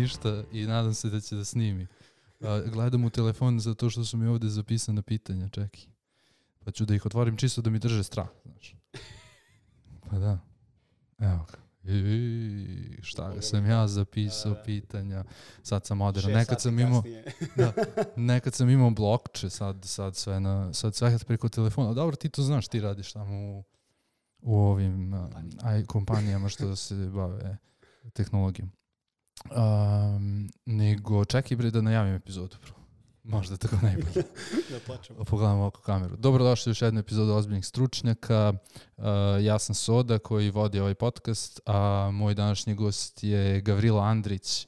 ništa i nadam se da će da snimi. Gledam u telefon zato što su mi ovdje zapisana pitanja, čekaj. Pa ću da ih otvorim čisto da mi drže strah, znaš. Pa da. Evo ga. Šta ga sam ja zapisao pitanja. Sad sam moderan. Nekad sam imao blokče, sad sve preko telefona. Dobro, ti to znaš, ti radiš tamo u ovim kompanijama što se bave tehnologijom. Nego čekaj bre da najavim epizodu. Možda tako najbolje. Da počnemo. Pogledamo oko kameru. Dobrodošli u još jednu epizodu Ozbiljnih stručnjaka. Ja sam Soda koji vodi ovaj podcast, a moj današnji gost je Gavrilo Andrić,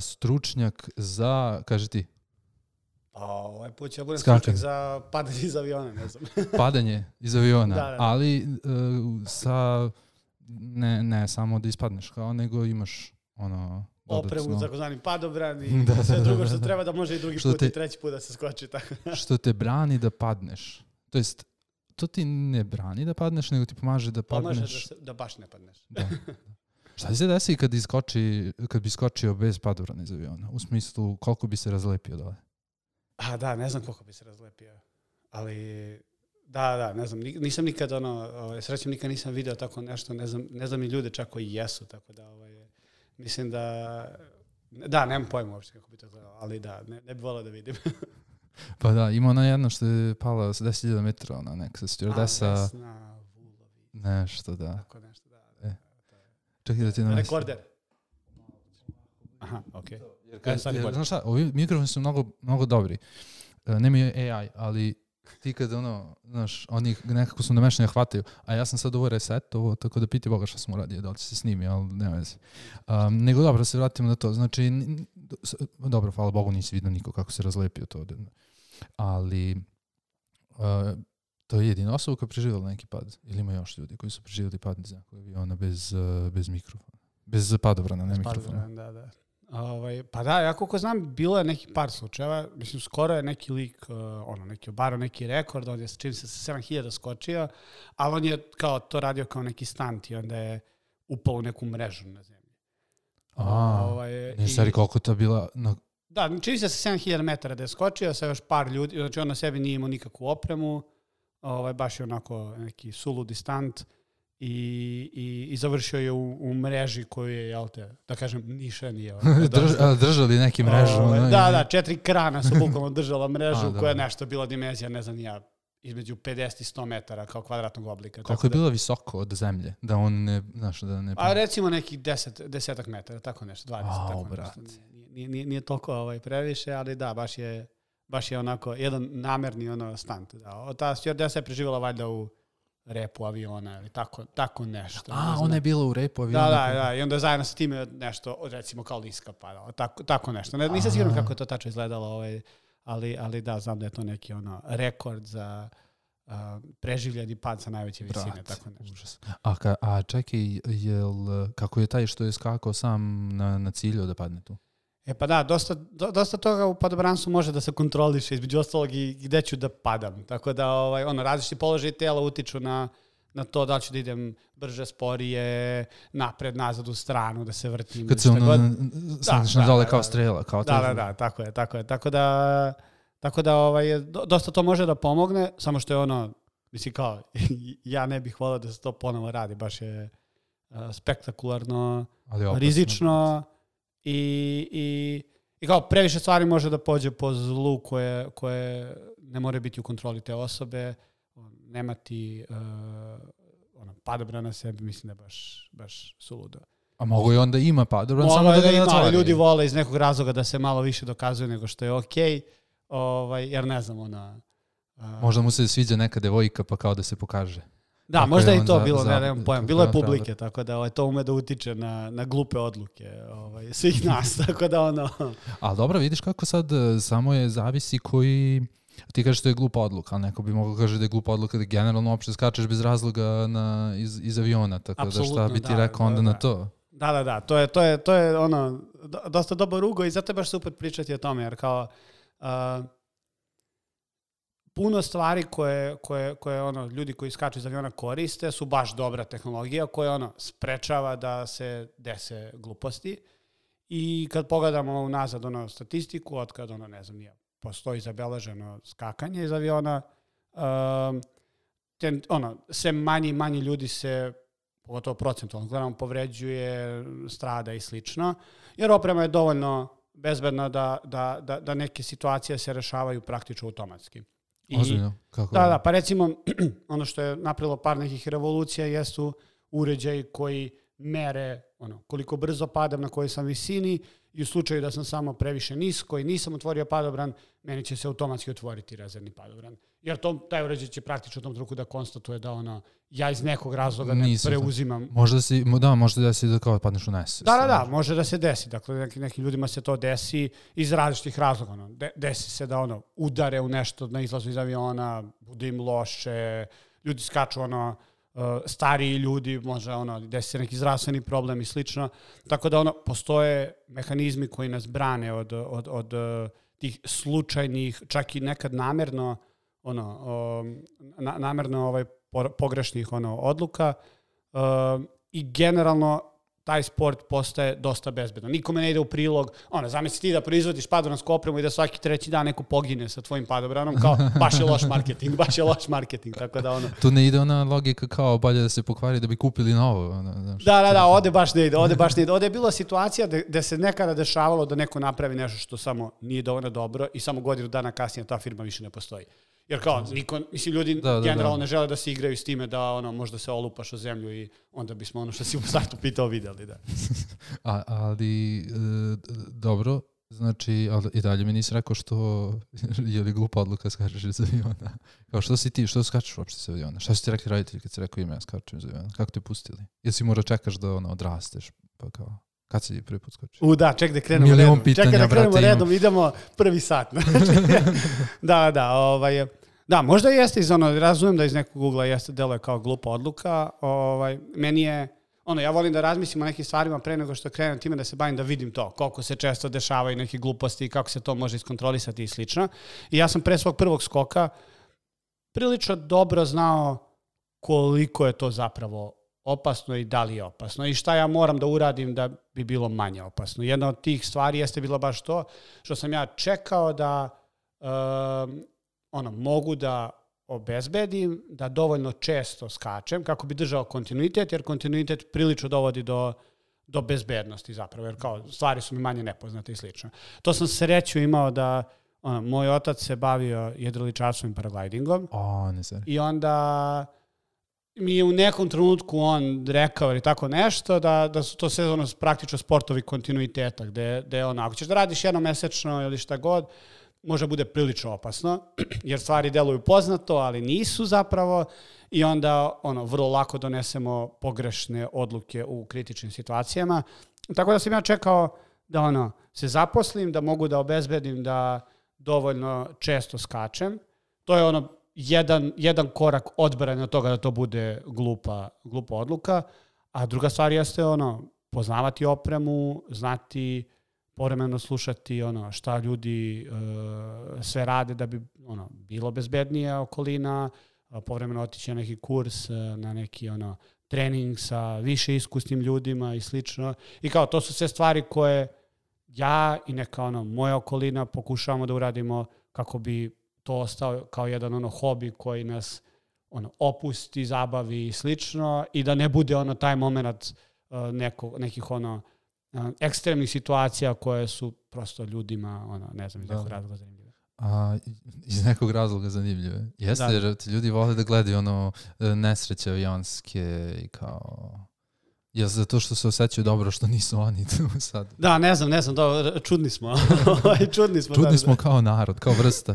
stručnjak za, kaži ti. Ovaj put ću ja budem stručnjak za padanje iz aviona, ne znam. Padanje iz aviona, da. Ali sa ne samo da ispadneš kao, nego imaš opremu, takozvani padobran i sve drugo što treba da može i drugi put i treći put da se skoči. Tako. Što te brani da padneš. To jest, to ti ne brani da padneš, nego ti pomaže da padneš. Pomaže da baš ne padneš. Da. Šta se desi kad bi skočio bez padobrana iz aviona? U smislu, koliko bi se razlepio dole? Da, ne znam koliko bi se razlepio. Ali, da, ne znam. Nisam nikad, srećem nikad nisam video tako nešto. Ne znam i ljude čak koji jesu, tako da, mislim da, nemam pojma uopšte kako bi to gledalo, ali da, ne bi volao da vidim. Pa da, ima ona jedna što je pala sa 10.000 metra, ona neka stewardesa. Vesna Vulović. Nešto, da. Tako nešto, da. Čekaj da ti namestim. Rekorder. Aha, okej. Jer, znaš šta, ovi mikrofoni su mnogo dobri. Nemaju AI, ali ti kad znaš, oni nekako su namešani da hvataju, a ja sam sad ovo resetovo, tako da piti Boga šta sam uradio, da li će se snimi, ali nema veze. Nego dobro, se vratimo na to. Znači, dobro, hvala Bogu, nisi vidio niko kako se razlepio to. Ali to je jedina osoba koja je preživjela neki pad. Ili ima još ljudi koji su preživjeli pad iz nekog aviona bez mikrofona. Bez padobrana, ne mikrofona. Da. Pa da, ja koliko znam, bilo je neki par slučajeva, mislim, skoro je neki lik, neki obarao neki rekord, on je čim se sa 7.000 skočio, ali on je kao to radio kao neki stunt i onda je upao u neku mrežu na zemlji. Ne stari koliko to bila... Da, čim se sa 7.000 metara da je skočio sa još par ljudi, znači on na sebi nije imao nikakvu opremu, baš je onako neki suludi stunt. I završio je u mreži koju je, jel te, da kažem, niša nije. Držali neki mrežu. Da, 4 krana su bukvalno držala mrežu koja je nešto bila dimenzija, ne znam ja, između 50 i 100 metara kao kvadratnog oblika. Koliko je bilo visoko od zemlje? Da on ne, znaš, da ne... A recimo nekih 10 metara, tako nešto, 20, tako nešto. Nije toliko previše, ali da, baš je onako, jedan namerni stunt. Da. Ta stewardesa je preživjela valjda u repu aviona ili tako nešto. Ona je bila u repu aviona. Da, i onda zajedno sa time nešto, recimo kao liska padala, tako nešto. Nisam siguran kako je to tačno izgledalo, ali da, znam da je to neki rekord za preživljeni pad sa najveće visine, tako nešto. Užas. A čekaj, kako je taj što je skakao sam na cilju da padne tu? Pa da, dosta toga u padobranstvu može da se kontroliše, između ostalog i gde ću da padam. Tako da različiti položaj tela utiču na to da li ću da idem brže, sporije, napred, nazad, u stranu, da se vrtim. Kad se sandiš na dole kao strela. Kao da, tako je. Tako da dosta to može da pomogne, samo što je mislim kao, ja ne bih volao da se to ponovo radi, baš je spektakularno, rizično. I kao previše stvari može da pođe po zlu koje ne more biti u kontroli te osobe, nemati padobran na sebi, mislim da je baš suludo. A mogu i onda ima padobran, samo da ima, ali ljudi vole iz nekog razloga da se malo više dokazuje nego što je okej, jer ne znam, možda mu se sviđa neka devojka pa kao da se pokaže. Da, tako možda i to bilo, nemam pojam. Bilo je publike, tako da to ume da utiče na glupe odluke svih nas, tako da Ali dobro, vidiš kako sad samo je zavisi koji... Ti kažeš da je glupa odluka, ali neko bi mogao kaže da je glupa odluka da generalno uopšte skačeš bez razloga iz aviona, tako absolutno, da šta bi ti rekao onda na to? Da, to je dosta dobar ugo i zato je baš super pričati o tome, jer kao... puno stvari koje ljudi koji skaču iz aviona koriste su baš dobra tehnologija koja sprečava da se dese gluposti I kad pogledamo nazad statistiku, od kad ne znam, postoji zabeleženo skakanje iz aviona, sve manji ljudi se, pogotovo procentualno gledamo, povređuje, strada i slično, jer oprema je dovoljno bezbedna da neke situacije se rešavaju praktično automatski. Ozbiljno? Kako? Da, pa recimo, ono što je napravilo par nekih revolucija jesu uređaji koji mere koliko brzo padam, na kojoj sam visini, i u slučaju da sam samo previše nisko i nisam otvorio padobran, meni će se automatski otvoriti rezervni padobran. Jer taj uređaj će praktično u tom trenutku da konstatuje da ja iz nekog razloga ne preuzimam. Može da se da kao padneš u nesvest. Da, može da se desi. Dakle, nekim ljudima se to desi iz različitih razloga. Desi se da udare u nešto na izlazu iz aviona, bude im loše, ljudi skaču stariji ljudi, može desi se neki zdravstveni problem i slično. Tako da postoje mehanizmi koji nas brane od tih slučajnih, čak i nekad namerno pogrešnih odluka, i generalno taj sport postaje dosta bezbedan. Nikome ne ide u prilog, zamisli ti da proizvodiš padobransku opremu i da svaki treći dan neko pogine sa tvojim padobranom, kao baš je loš marketing, tako da Tu ne ide ona logika kao bolje da se pokvari da bi kupili novo. Da, ovde baš ne ide. Ovde je bila situacija gde se nekada dešavalo da neko napravi nešto što samo nije dovoljno dobro i samo godinu dana kasnije ta firma više ne postoji. Jer kao, ljudi generalno ne žele da se igraju s time da možda se olupaš o zemlju i onda bismo što si u startu pitao videli. Da. Ali, dobro, znači, i dalje mi nisi rekao što je li glupa odluka skačeš iz aviona. Kao, što si ti, što skačeš uopšte iz aviona? Šta su ti rekli roditelji kad si rekao ime ja skačem iz aviona? Kako te pustili? Jesi mora čekaš da odrasteš, pa kao... Kad si prvi put skočio? Ček da krenemo redom. Čekaj da krenemo redom, idemo prvi sat. Da, možda jeste razumijem da iz nekog ugla jeste deluje kao glupa odluka. Meni je, ja volim da razmislim o nekim stvarima pre nego što krenem time da se bavim, da vidim to, koliko se često dešavaju neke gluposti i kako se to može iskontrolisati i slično. I ja sam pre svog prvog skoka prilično dobro znao koliko je to zapravo opasno i da li je opasno i šta ja moram da uradim da bi bilo manje opasno. Jedna od tih stvari jeste bila baš to što sam ja čekao da mogu da obezbedim, da dovoljno često skačem kako bi držao kontinuitet, jer kontinuitet prilično dovodi do bezbednosti zapravo, jer kao stvari su mi manje nepoznate i slično. To sam sreću imao da moj otac se bavio jedriličarstvom i paraglidingom i onda mi je u nekom trenutku on rekao ili tako nešto da su to sve praktično sportovi kontinuiteta, gde ako ćeš da radiš jednomesečno ili šta god, može bude prilično opasno, jer stvari deluju poznato, ali nisu zapravo, i onda vrlo lako donesemo pogrešne odluke u kritičnim situacijama. Tako da sam ja čekao da se zaposlim, da mogu da obezbedim da dovoljno često skačem. To je jedan korak odbrane od toga da to bude glupa odluka, a druga stvar jeste poznavati opremu, znati, povremeno slušati šta ljudi sve rade da bi bilo bezbednija okolina, povremeno otići na neki kurs, na neki trening sa više iskusnim ljudima i slično. I kao to su sve stvari koje ja i neka moja okolina pokušavamo da uradimo kako bi to ostao kao jedan hobi koji nas opusti, zabavi i slično, i da ne bude taj moment nekih ekstremnih situacija koje su prosto ljudima, ne znam, iz nekog razloga zanimljive. Iz nekog razloga zanimljive. Jeste, jer ti ljudi vole da gledaju nesreće avionske i kao... Je zato što se osjećaju dobro što nisu oni tu sad? Da, ne znam, čudni smo. Čudni smo kao narod, kao vrsta.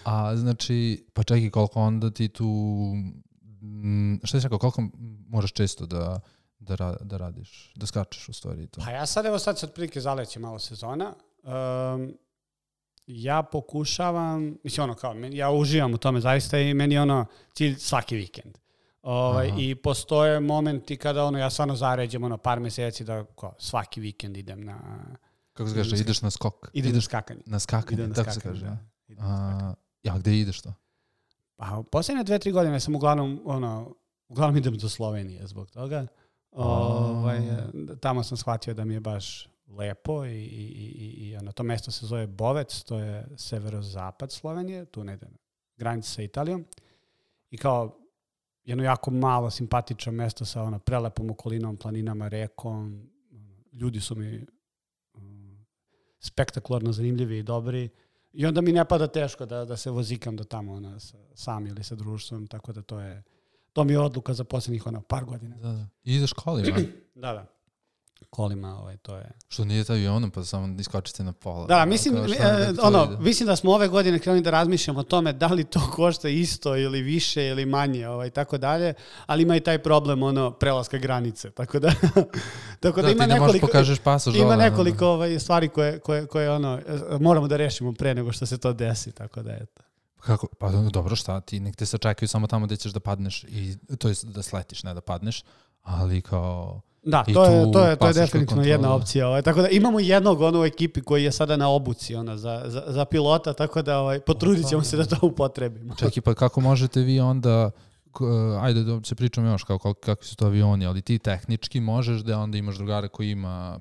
A znači, pa čekaj, koliko onda ti tu... Šta si rekao, koliko moraš često da radiš, da skačeš u stvari to? Pa ja sad se otprilike zaleće malo sezona. Ja pokušavam, ja uživam u tome zaista i meni je cilj svaki vikend. I postoje momenti kada ja stvarno zaređem par meseci da svaki vikend idem na... Kako se kaže, ideš na skok? Idem na skakanje. Na skakanje, tako se kaže. Ja, gde ideš to? Pa, posljednje 2-3 godine sam uglavnom idem do Slovenije zbog toga. Tamo sam shvatio da mi je baš lepo i to mesto se zove Bovec, to je severozapad Slovenije, tu negde na granici sa Italijom. I kao jedno jako malo simpatično mesto sa prelepom okolinom, planinama, rekom. Ljudi su mi spektakularno zanimljivi i dobri. I onda mi ne pada teško da se vozikam do tamo sam ili sa društvom, tako da to mi je odluka za posljednjih par godina. Da. I ideš kolima? Da. Kolima, to je... Što nije taj avionom, pa samo iskočite na pola. Da, mislim da smo ove godine krenuli da razmišljamo o tome da li to košta isto ili više ili manje, tako dalje, ali ima i taj problem, prelaska granice, tako da ima nekoliko... pokažeš pasoš. Ima nekoliko stvari koje moramo da rešimo pre nego što se to desi, tako da eto. Kako? Pa dobro, šta ti? Nek te se čekaju samo tamo gde ćeš da padneš, to je da sletiš, ne da padneš, ali kao... Da, to je definitivno jedna opcija. Tako da imamo jednog u ekipi koji je sada na obuci za pilota, tako da potrudit ćemo se da to upotrebimo. Čekaj, pa kako možete vi onda, ajde da se pričamo još kakvi su to avioni, ali ti tehnički možeš da onda imaš drugara koji ima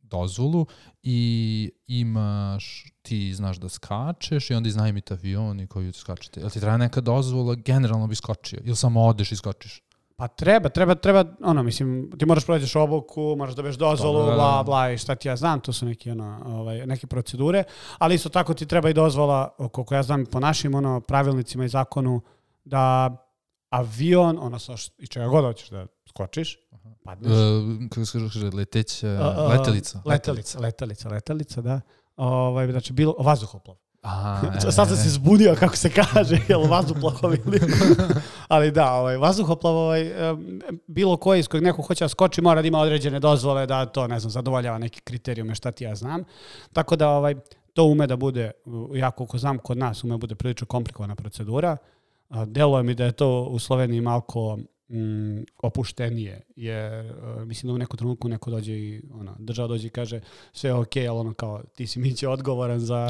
dozvolu i imaš, ti znaš da skačeš i onda iznajmite avion i koju skačete. Jel ti treba neka dozvola, generalno bi skočio ili samo odeš i skočiš? Pa treba, mislim, ti moraš prođeš obuku, moraš dobiješ dozvolu, bla, bla, i šta ti ja znam, to su neke procedure, ali isto tako ti treba i dozvola, koliko ja znam po našim pravilnicima i zakonu, da avion, i čega god hoćeš da skočiš, padneš. Kako se kaže, letelica, da. Znači, bilo vazduhoplov. Sad sam se zbunio kako se kaže, jel vazduhoplov ili... Ali da, vazduhoplov, bilo koji iz kojeg neko hoće da skoči, mora da ima određene dozvole, da to, ne znam, zadovoljava neki kriterijume, šta ti ja znam. Tako da to ume da bude, ja koliko znam kod nas, ume da bude prilično komplikovana procedura. Deluje mi da je to u Sloveniji malko opuštenije, jer mislim da u neku trenutku neko dođe i država dođe i kaže sve je okej, ali kao ti si Miće odgovoran za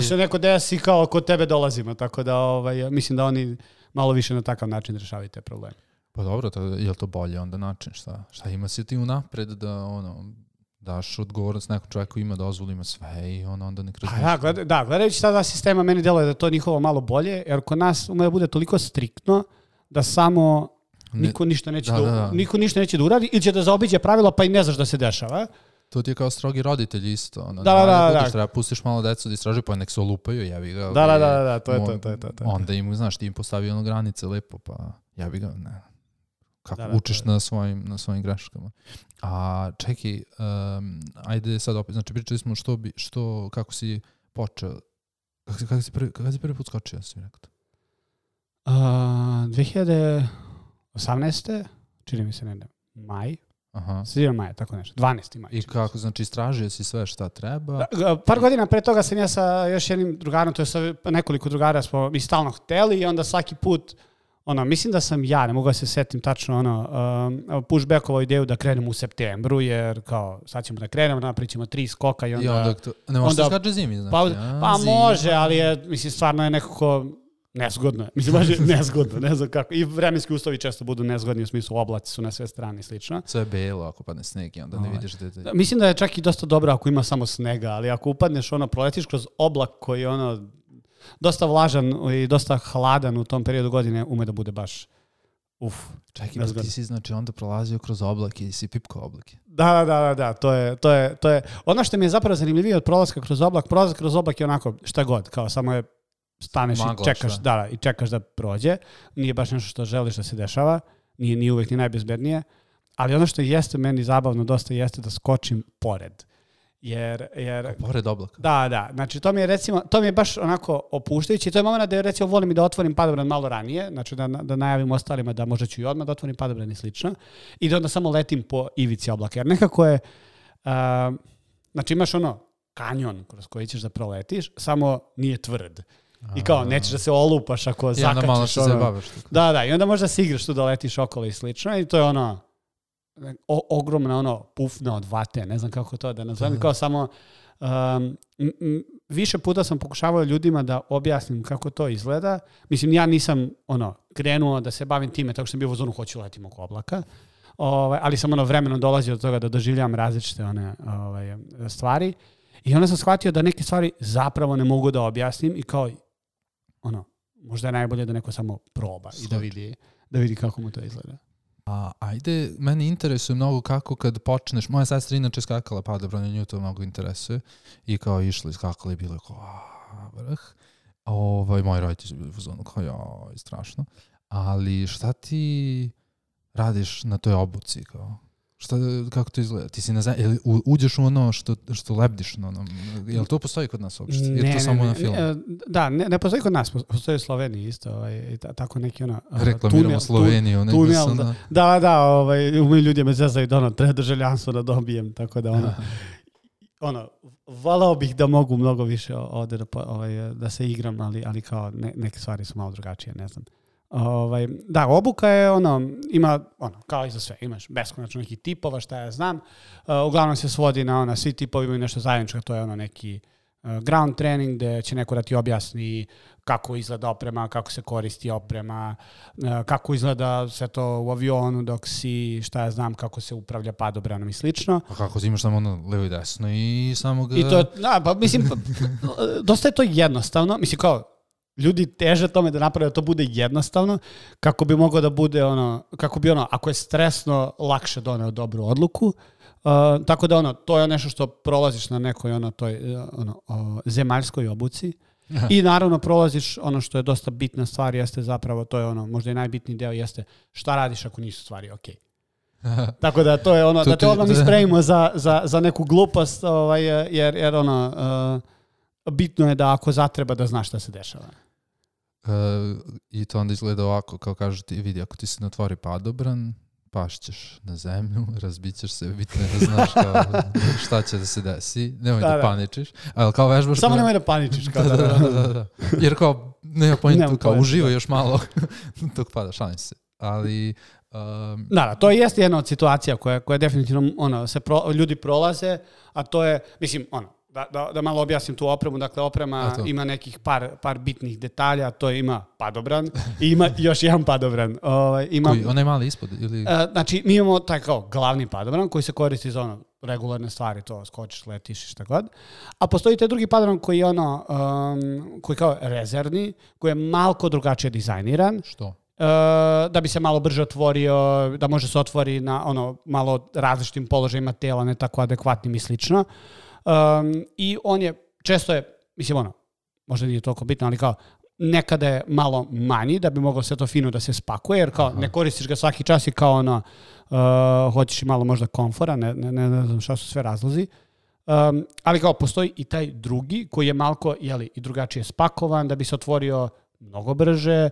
što neko desi kao kod tebe dolazimo, tako da mislim da oni malo više na takav način rešavaju te probleme. Pa dobro, je li to bolje onda način? Šta ima si ti unapred da daš odgovornost nekom čovjeku ima dozvolu, ima sve i onda nek razmišlja. Da, gledajući ta dva sistema, meni deluje da to njihovo malo bolje, jer kod nas ume da bude toliko striktno da samo niko ništa neće da uradi ili će da zaobiđe pravila pa i ne znaš da se dešava. To ti je kao strogi roditelj isto. Da. Treba pustiš malo decu da istražuju pa nek se olupaju, jebi ga. Da, to je to. Onda im, znaš, ti im postavi granice lepo, pa jebi ga, ne. Kako učiš na svojim greškama. A čekaj, ajde sad opet, znači pričali smo kako si počeo, kako si prvi put skočio, si mi rekao? 2018. čini mi se maj. Sredinom maja, tako nešto. 12. maj. I kako, znači istražio si sve šta treba? Par godina pre toga sam ja sa još jednim drugarom, to je sa nekoliko drugara smo mi stalno hteli i onda svaki put mislim da sam ja, ne mogu da se setim tačno, pushbackovao ideju da krenemo u septembru, jer kao sad ćemo da krenemo, napričamo 3 skoka i onda... Ne možeš da skače zimi, znači. Pa može, ali mislim, stvarno je nekako nezgodno. Mislim, baš je nezgodno, ne znam kako. I vremenski uslovi često budu nezgodni, u smislu oblaci su na sve strane i slično. Sve je belo ako padne sneg i onda ne vidiš detalje. Mislim da je čak i dosta dobro ako ima samo snega, ali ako upadneš, proletiš kroz oblak koji je dosta vlažan i dosta hladan u tom periodu godine, ume da bude baš Čekaj, ti si znači onda prolazio kroz oblake i si pipkao oblake. Da, to je. Ono što mi je zapravo zanimljivije od prolazka kroz oblak je onako šta god, kao samo je staneš i čekaš, i čekaš da prođe. Nije baš nešto što želiš da se dešava, nije uvijek ni najbezbednije, ali ono što jeste meni zabavno dosta jeste da skočim pored. Jer pored oblaka. Da. Znači to mi je baš onako opuštajuće. To je moment da recimo volim i da otvorim padobran malo ranije, znači da najavim ostalima da možda ću i odmah da otvorim padobran i slično. I da onda samo letim po ivici oblaka. Jer nekako je, znači imaš kanjon kroz koji ćeš da proletiš, samo nije tvrd. I kao, nećeš da se olupaš ako zakačiš. I onda malo se zabaviš. Da, i onda možda se igraš tu da letiš okolo i slično. I to je ogromna pufna od vate, ne znam kako to da nazovem, kao samo više puta sam pokušavao ljudima da objasnim kako to izgleda. Mislim, ja nisam krenuo da se bavim time tako što sam bio u zonu hoću letim oko oblaka, ali sam vremenom dolazio do toga da doživljavam različite stvari. I onda sam shvatio da neke stvari zapravo ne mogu da objasnim i kao, možda je najbolje da neko samo proba i da vidi kako mu to izgleda. Ajde, meni interesuje mnogo kako kad počneš, moja sestra inače skakala padobran i nju to mnogo interesuje i kao išla i skakala i bilo je kao vrh. Moji roditelji su bili u fazonu kao strašno. Ali šta ti radiš na toj obuci kao? Kako to izgleda? Ti si na zemlji, uđeš u ono što lebdiš na onom, jel to postoji kod nas uopšte? Ili to samo na filmu? Da, ne postoji kod nas, postoji u Sloveniji isto, tako neki reklamiramo Sloveniju, tunel, da, umiju ljudi me zezaju da treba državljanstvo da dobijem, tako da volao bih da mogu mnogo više ovde da se igram, ali kao neke stvari su malo drugačije, ne znam. Da, obuka je ima kao i za sve, imaš beskonačno nekih tipova, šta ja znam, uglavnom se svodi na svi tipovi imaju nešto zajedničko, to je neki ground training gde će neko da ti objasni kako izgleda oprema, kako se koristi oprema, kako izgleda sve to u avionu dok si, šta ja znam, kako se upravlja padobranom i slično. A kako imaš samo levo i desno i samo ga... I to, mislim, dosta je to jednostavno, mislim kao, ljudi teže tome da naprave da to bude jednostavno, kako bi moglo da bude kako bi ako je stresno, lakše doneo dobru odluku. Tako da to je nešto što prolaziš na nekoj toj zemaljskoj obuci. I naravno prolaziš ono što je dosta bitna stvar, jeste zapravo, to je možda i najbitniji deo, jeste šta radiš ako nisu stvari okej. Tako da to je da te odmah mi spremimo za neku glupost, jer bitno je da ako zatreba da znaš šta se dešava. I to onda izgleda ovako, kao kažu ti, vidi, ako ti se natvori padobran, pašćeš na zemlju, razbićeš se, bitno je da znaš šta će da se desi, nemoj da paničiš, ali kao vežbaš... Samo nemoj da paničiš. Da. Jer kao, nema pojenta, kao uživaj još malo dok pada, šalim se. Ali... Da, to jeste jedna od situacija koja definitivno ljudi prolaze, a to je, mislim, da malo objasnim tu opremu, dakle oprema ima nekih par bitnih detalja, to ima padobran i ima još jedan padobran. Koji, onaj mali ispod? Ili... Znači, mi imamo taj kao glavni padobran koji se koristi za regularne stvari, to skočiš, letiš i šta god. A postoji taj drugi padobran koji je koji kao rezervni, koji je malko drugačije dizajniran. Što? Da bi se malo brže otvorio, da može se otvori na malo različitim položajima tela, ne tako adekvatnim i slično. I on je, često je, mislim možda nije toliko bitno, ali kao nekada je malo manji da bi moglo sve to fino da se spakuje, jer kao ne koristiš ga svaki čas i kao hoćeš i malo možda komfora, ne znam šta su sve razlozi. Ali kao postoji i taj drugi koji je malko i drugačije spakovan da bi se otvorio mnogo brže,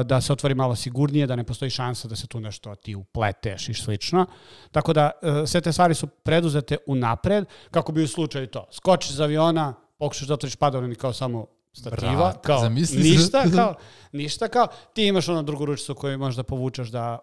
da se otvori malo sigurnije, da ne postoji šansa da se tu nešto ti upleteš i slično. Tako da sve te stvari su preduzete unapred kako bi u slučaju to. Skočiš iz aviona, pokušaš da otvoriš padobran i kao samo stativa, kao ništa, kao ti imaš drugu ručicu koju možeš da povučeš da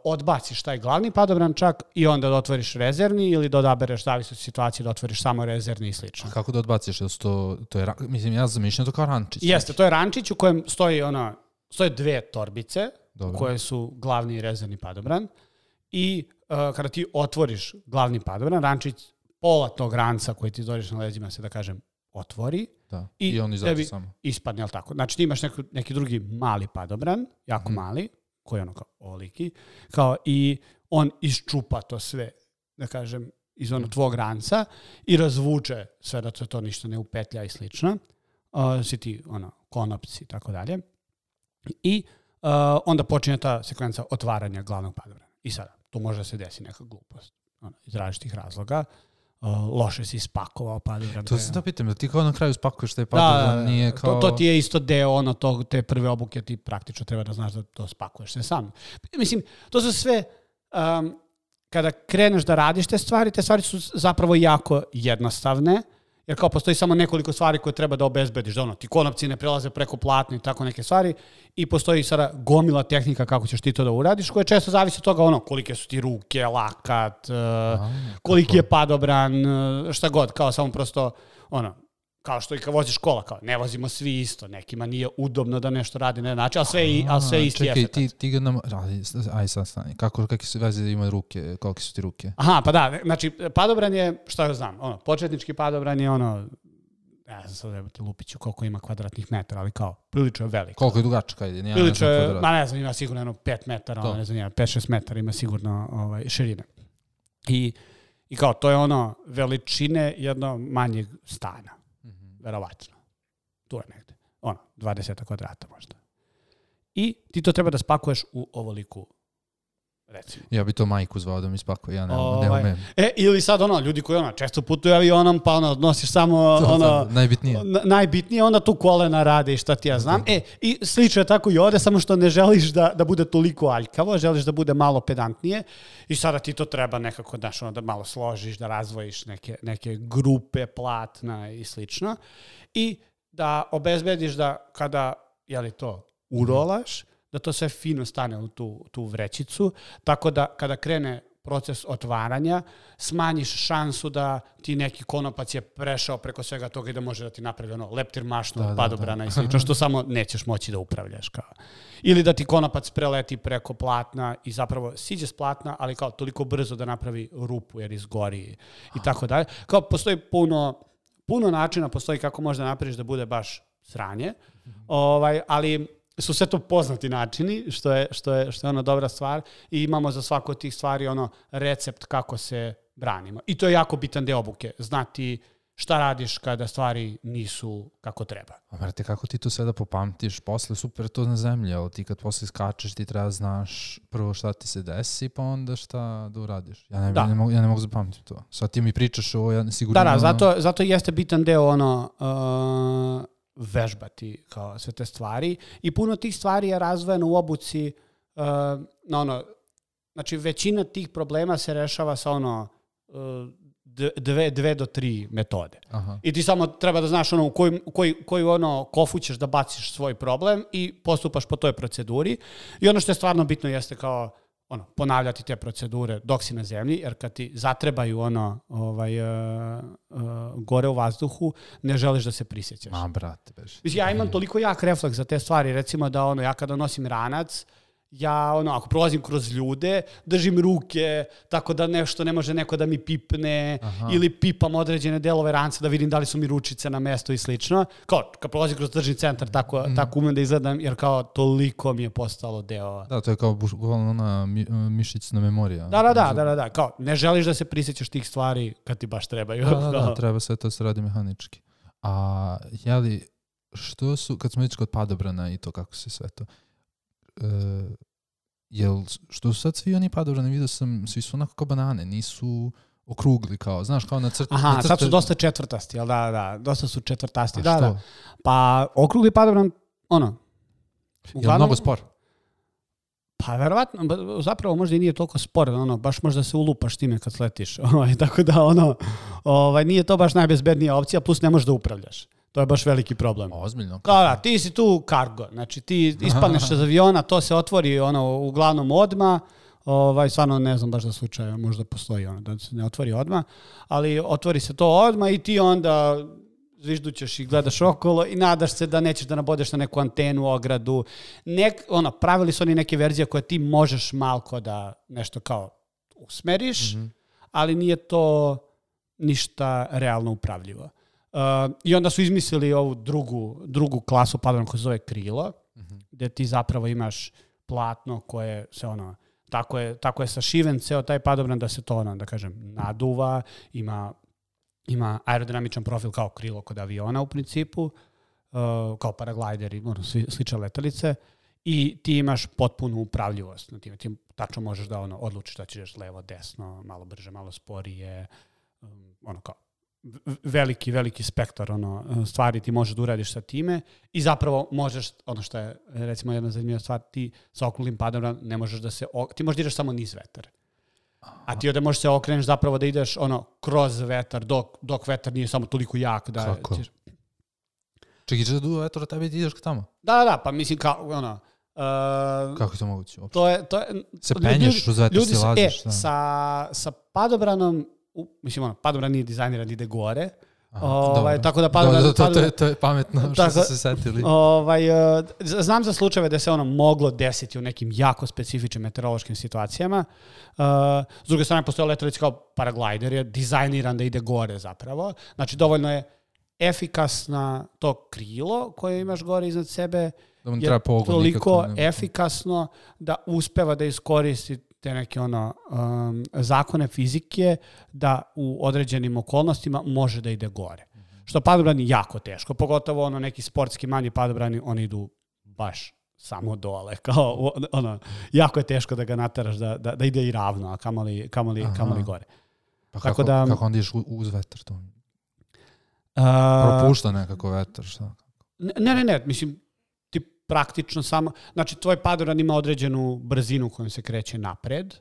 odbaciš taj glavni padobran čak i onda da otvoriš rezervni ili da odabereš zavisno od situacije da otvoriš samo rezervni i slično. A kako da odbaciš? To je, mislim, ja zamišljam to kao rančić. Jeste, to je rančić u kojem stoje dve torbice koje su glavni i rezervni padobran i kada ti otvoriš glavni padobran, rančić pola tog ranca koji ti dođeš na leđima se, da kažem, otvori. Da. I on izađe samo. Ispadne, ali tako. Znači ti imaš neki drugi mali padobran, jako mali, koji je kao oliki, kao i on iščupa to sve, da kažem, iz tvog ranca i razvuče sve da to ništa ne upetlja i slično. Svi ti konopci i tako dalje. I onda počinje ta sekvenca otvaranja glavnog padobrana. I sada, tu može da se desi neka glupost iz različitih razloga. Loše si spakovao padobran. To se da pitam, da ti kao na kraju spakuješ taj padobran, nije kao... To ti je isto deo te prve obuke, ti praktično treba da znaš da to spakuješ se sam. Mislim, to su sve, kada kreneš da radiš te stvari su zapravo jako jednostavne, jer kao postoji samo nekoliko stvari koje treba da obezbediš, da ti konopci ne prelaze preko platna i tako neke stvari i postoji sada gomila tehnika kako ćeš ti to da uradiš, koje često zavisi od toga kolike su ti ruke, lakat, koliki je padobran, šta god, kao samo prosto Kao što i kad voziš kola, kao ne vozimo svi isto, nekima nije udobno da nešto radi na način, ali sve isti efekt. Čekaj, ti ga nam... Aj sad stani, kakve su veze da imaju ruke, kolike su ti ruke? Aha, pa da, znači padobran je, šta ja znam, početnički padobran je ja znam sad da ti lupiću koliko ima kvadratnih metara, ali kao, prilično je veliko. Koliko je dugačka ide? Prilično je, ne znam, ima sigurno 5 metara, ne znam, 5-6 metara ima sigurno širine. I kao, to je veličine jednog manjeg stana. Verovatno. Tu je negde. 20 kvadrata možda. I ti to treba da spakuješ u ovoliku, recimo. Ja bi to majku zvao da mi spakuje, ja ne umem. Ili sad ljudi koji često putuju avionom, pa nosiš samo najbitnije, onda tu kolena rade i šta ti ja znam. I slično je tako i ovde, samo što ne želiš da bude toliko aljkavo, želiš da bude malo pedantnije i sada ti to treba nekako, da malo složiš, da razvojiš neke grupe platna i slično. I da obezbediš da kada, to urolaš, da to sve fino stane u tu vrećicu, tako da kada krene proces otvaranja, smanjiš šansu da ti neki konopac je prešao preko svega toga i da može da ti napravi leptir mašnu od padobrana i slično, što samo nećeš moći da upravljaš. Ili da ti konopac preleti preko platna i zapravo siđe s platna, ali kao toliko brzo da napravi rupu jer izgori i tako dalje. Kao postoji puno načina, postoji kako možda napraviš da bude baš sranje, ali su sve to poznati načini, što je dobra stvar i imamo za svako od tih stvari recept kako se branimo. I to je jako bitan deo obuke, znati šta radiš kada stvari nisu kako treba. A brate, kako ti to sve da popamtiš? Posle super to na zemlji, ali ti kad posle skačeš ti treba znaš prvo šta ti se desi, pa onda šta da uradiš. Ja ne mogu zapamtiti to. Sad ti mi pričaš ovo, ja sigurno... Zato jeste bitan deo vežbati kao sve te stvari i puno tih stvari je razvojeno u obuci znači većina tih problema se rešava sa 2 do 3 metode. Aha. I ti samo treba da znaš u koju kofu ćeš da baciš svoj problem i postupaš po toj proceduri i ono što je stvarno bitno jeste kao ponavljati te procedure dok si na zemlji, jer kad ti zatrebaju gore u vazduhu, ne želiš da se prisjećaš. Brate, beži. Ja imam toliko jak refleks za te stvari, recimo da ja kada nosim ranac, ja ako prolazim kroz ljude, držim ruke, tako da nešto ne može neko da mi pipne, ili pipam određene delove ranca da vidim da li su mi ručice na mesto i slično. Kao, kad prolazim kroz tržni centar, tako umem da izgledam, jer kao toliko mi je postalo deo. Da, to je kao ona mišićna memorija. Da. Kao, ne želiš da se prisjećaš tih stvari kad ti baš trebaju. Da, treba sve to se radi mehanički. A što su, kad smo već kod padobrana i to kako se sve to... što su sad svi oni padobrani, vidio sam, svi su onako kao banane, nisu okrugli kao, znaš, kao na crtu. Aha, sad su dosta četvrtasti, jel da, dosta su četvrtasti. A što? Pa okrugli padobran, je mnogo spor? Pa verovatno, zapravo možda i nije toliko spor, baš možda se ulupaš time kad sletiš, tako da nije to baš najbezbednija opcija, plus ne možeš da upravljaš. To je baš veliki problem. Ozbiljno. Da, ti si tu kargo. Znači ti ispadneš iz aviona, to se otvori uglavnom odmah. Stvarno ne znam baš za slučaje, možda postoji da se ne otvori odmah, ali otvori se to odmah i ti onda zviždućeš i gledaš okolo i nadaš se da nećeš da nabodeš na neku antenu, ogradu. Pravili su oni neke verzije koje ti možeš malko da nešto kao usmeriš, ali nije to ništa realno upravljivo. I onda su izmislili ovu drugu klasu padobrana koja se zove krilo, gde ti zapravo imaš platno koje se tako je sašiven ceo taj padobran da se to da kažem naduva, ima aerodinamičan profil kao krilo kod aviona u principu, kao paraglideri, slične letelice i ti imaš potpunu upravljivost na time. Ti tačno možeš da odlučiš da ćeš levo, desno, malo brže, malo sporije, kao veliki spektar stvari ti možeš da uradiš sa time i zapravo možeš, što je recimo jedna zanimljiva stvar, ti sa okruglim padobranom ne možeš da ti možeš da ideš samo niz vetar. A ti ovdje možeš se okreneš zapravo da ideš kroz vetar dok vetar nije samo toliko jak da... Kako? Čekaj, da duva vetar, tebi ti ideš tamo? Da, pa mislim kao kako je to moguće uopšte? To je se penješ uz vetar, si laziš? Sa padobranom, mislim, padobran nije dizajniran, ide gore, Tako da padobrani... To je pametno što su se setili. Znam za slučajeve da se ono moglo desiti u nekim jako specifičnim meteorološkim situacijama. S druge strane, postoje letelice kao paraglajder, je dizajniran da ide gore zapravo. Znači, dovoljno je efikasna to krilo koje imaš gore iznad sebe, je toliko efikasno da uspeva da iskoristi te neke zakone fizike da u određenim okolnostima može da ide gore. Što padobrani jako teško, pogotovo neki sportski manji padobrani, oni idu baš samo dole. Kao, jako je teško da ga nataraš da ide i ravno, a kamoli gore. Pa kako onda ideš uz vetar to? Propušta nekako vetar, šta? Ne, mislim, ti praktično samo, znači tvoj padobran ima određenu brzinu kojom se kreće napred.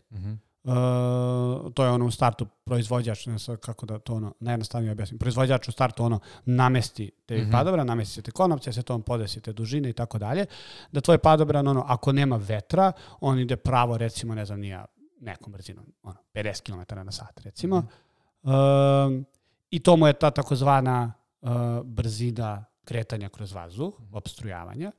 To je u startu proizvođač, ne znam kako da to najjednostavnije objasnim, proizvođač u startu namesti te padobran, namesti te konopce, se to podesite dužine i tako dalje, da tvoj padobran, ako nema vetra, on ide pravo, recimo, ne znam, nije nekom brzinom, 50 km na sat, recimo. I to mu je ta takozvana brzina kretanja kroz vazduh, opstrujavanja.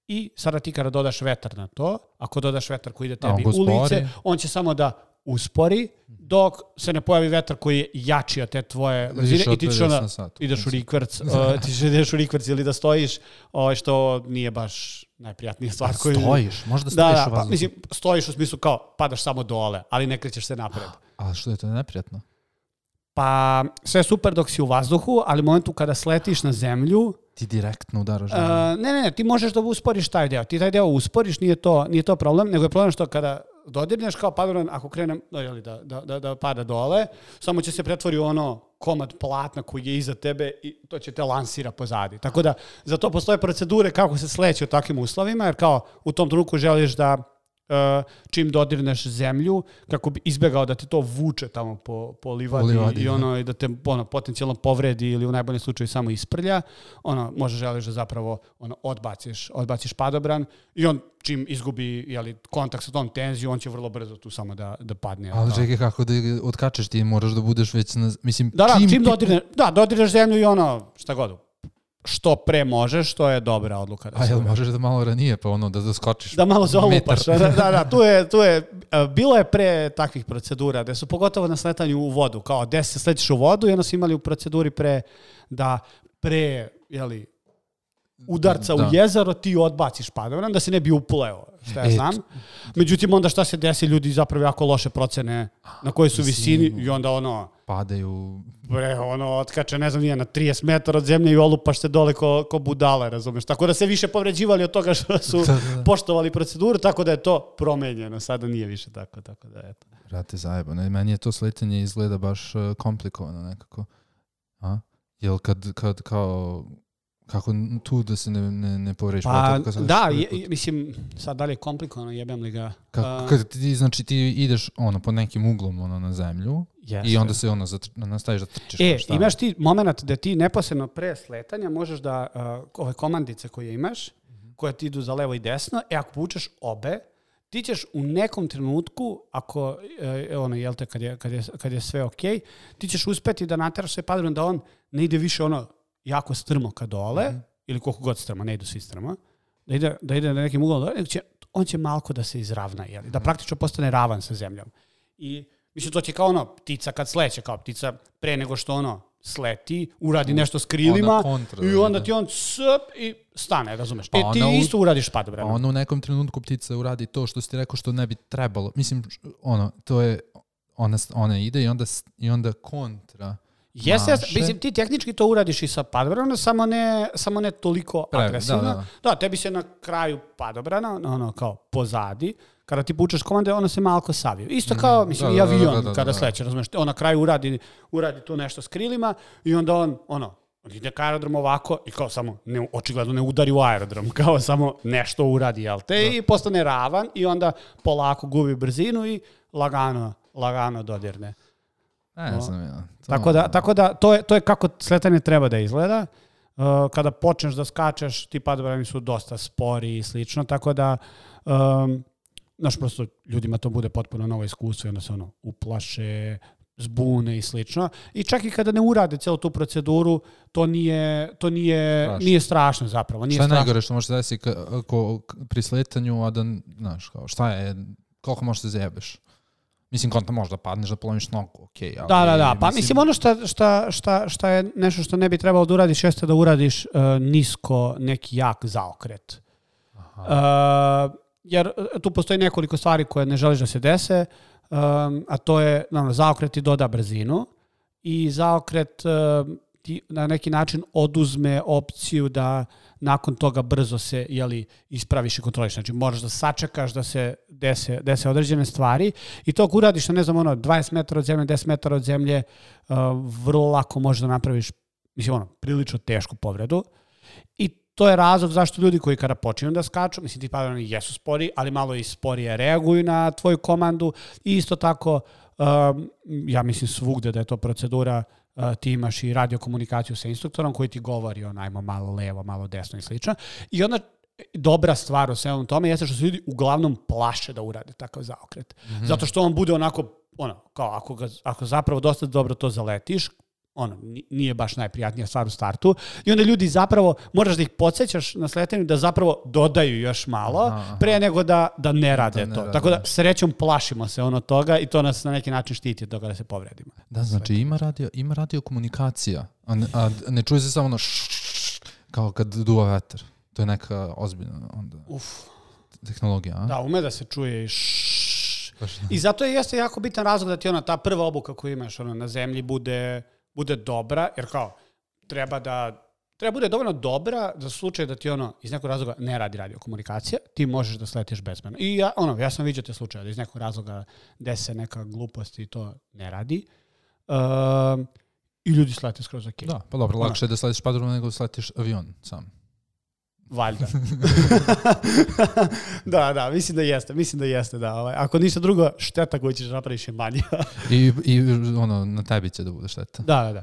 I sada ti kada dodaš vetar na to, ako dodaš vetar koji ide tebi u lice, on će samo da uspori, dok se ne pojavi vetar koji je jači od te tvoje brzine i ti ideš u rikverc, ili da stojiš, što nije baš najprijatnija stvar. Stojiš? Možda stojiš u vazduhu? Mislim, stojiš u smislu kao padaš samo dole, ali ne krećeš se napred. Ali što je to neprijatno? Pa sve je super dok si u vazduhu, ali u momentu kada sletiš na zemlju... Ti direktno udaraš. Ne, ti možeš da usporiš taj deo. Ti taj deo usporiš, nije to problem, nego je problem što kada dodirneš kao padobran, ako krenem da pada dole, samo će se pretvori komad platna koji je iza tebe i to će te lansira pozadi. Tako da za to postoje procedure kako se sleće u takvim uslovima, jer kao u tom trenutku želiš da čim dodirneš zemlju, kako bi izbjegao da te to vuče tamo po livadi i da te potencijalno povredi ili u najboljem slučaju samo isprlja, može želiš da zapravo odbaciš padobran i on čim izgubi kontakt sa tom tenzijom, on će vrlo brzo tu samo da padne. Ali čekaj, kako da odkačeš, ti moraš da budeš već mislim... Čim dodirneš zemlju i šta god. Što pre možeš, to je dobra odluka. Jel možeš da malo ranije, pa da skočiš? Da malo zaolupaš. Tu je, bilo je pre takvih procedura, gde su pogotovo na sletanju u vodu, kao gde se sletiš u vodu i onda su imali u proceduri pre udarca u jezero ti odbaciš padobran da se ne bi upleo, šta ja znam. Međutim, onda šta se desi, ljudi zapravo jako loše procene na kojoj su visini i onda padaju. Otkače, ne znam, nije na 30 metara od zemlje i olupaš se dole ko budale, razumeš. Tako da se više povređivali od toga što su poštovali proceduru, tako da je to promenjeno. Sada nije više tako da eto. Brate, zajebano. Meni je to sletanje izgleda baš komplikovano nekako. Jel kad kao... Kako tu da se ne povređiš? Mislim, sad dalje je komplikovano, jebem li ga. Kad ti ideš pod nekim uglom na zemlju i onda se nastaviš da trčiš. Imaš ti moment da ti neposredno pre sletanja možeš da ove komandice koje imaš, koje ti idu za levo i desno, ako povučeš obe, ti ćeš u nekom trenutku, ako, kad je sve okej, ti ćeš uspeti da nateraš sve padobran da on ne ide više jako strmo ka dole, ili koliko god strmo, ne idu svi strmo, da ide na nekim uglom dole, on će malko da se izravna, da praktično postane ravan sa zemljom. I mislim, to će kao ptica kad sleće, kao ptica pre nego što sleti, uradi nešto s krilima i onda ti on i stane, razumeš? Ti isto uradiš padobranom. U nekom trenutku ptica uradi to što si ti rekao što ne bi trebalo. Mislim, to je, ona ide i onda kontra. Mislim, ti tehnički to uradiš i sa padobranom, samo ne toliko agresivno. Da, tebi se na kraju padobrana, kao pozadi, kada ti pučeš komande, ono se malko saviju. Isto kao, mislim, i avion kada sleće, razumiješ, on na kraju uradi tu nešto s krilima i onda on ide ka aerodromu ovako i kao samo, očigledno ne udari u aerodrom, kao samo nešto uradi, jel te, i postane ravan i onda polako gubi brzinu i lagano dodirne. Tako da to je kako sletanje treba da izgleda. Kada počneš da skačeš, ti padobrani su dosta spori i slično, tako da prosto ljudima to bude potpuno novo iskustvo i onda se uplaše, zbune i slično. I čak i kada ne urade celu tu proceduru, to nije strašno zapravo. Šta je najgore što može desiti pri sletanju, a da, znaš, kao, šta je, koliko možeš da zajebeš? Mislim, konta možda padneš da polomiš nogu, okej. Okay, da. Pa mislim, ono šta je nešto što ne bi trebalo da uradiš, jeste da uradiš nisko neki jak zaokret. Jer tu postoji nekoliko stvari koje ne želiš da se dese, a to je, zaokret ti doda brzinu i zaokret ti na neki način oduzme opciju da nakon toga brzo se ispraviš i kontroliš. Znači, moraš da sačekaš da se dese određene stvari i to ako uradiš na, 20 metara od zemlje, 10 metara od zemlje, vrlo lako možeš da napraviš, prilično tešku povredu. I to je razlog zašto ljudi koji kada počinju da skaču, ti padobranci jesu spori, ali malo i sporije reaguju na tvoju komandu i isto tako, ja mislim svugde da je to procedura, ti imaš i radiokomunikaciju sa instruktorom koji ti govori ajmo malo levo, malo desno i slično. I onda dobra stvar u svemu tome jeste što se ljudi uglavnom plaše da urade takav zaokret. Mm-hmm. Zato što on bude onako, kao ako zapravo dosta dobro to zaletiš, nije baš najprijatnija stvar u startu. I onda ljudi zapravo, moraš da ih podsjećaš na sletanju da zapravo dodaju još malo pre nego da ne rade to. Tako da srećom plašimo se toga i to nas na neki način štiti od toga da se povredimo. Da, znači ima radio komunikacija, a ne čuje se samo kao kad duva vetar. To je neka ozbiljna onda tehnologija. A? Da, ume da se čuje i I zato jeste jako bitan razlog da ti ta prva obuka koju imaš na zemlji bude dobra, jer kao treba bude dovoljno dobra za slučaj da ti iz nekog razloga ne radi radiokomunikacija, ti možeš da sletiš bezbedno. I ja sam vidio te slučaje da iz nekog razloga dese neka glupost i to ne radi. I ljudi slete skroz ok. Da, pa dobro, lakše je da sletiš padobran nego da sletiš avion sam. Valjda. Da, mislim da jeste, da. Ako ništa drugo, šteta koju ćeš napraviš je manja. I na tebi će da bude šteta. Da.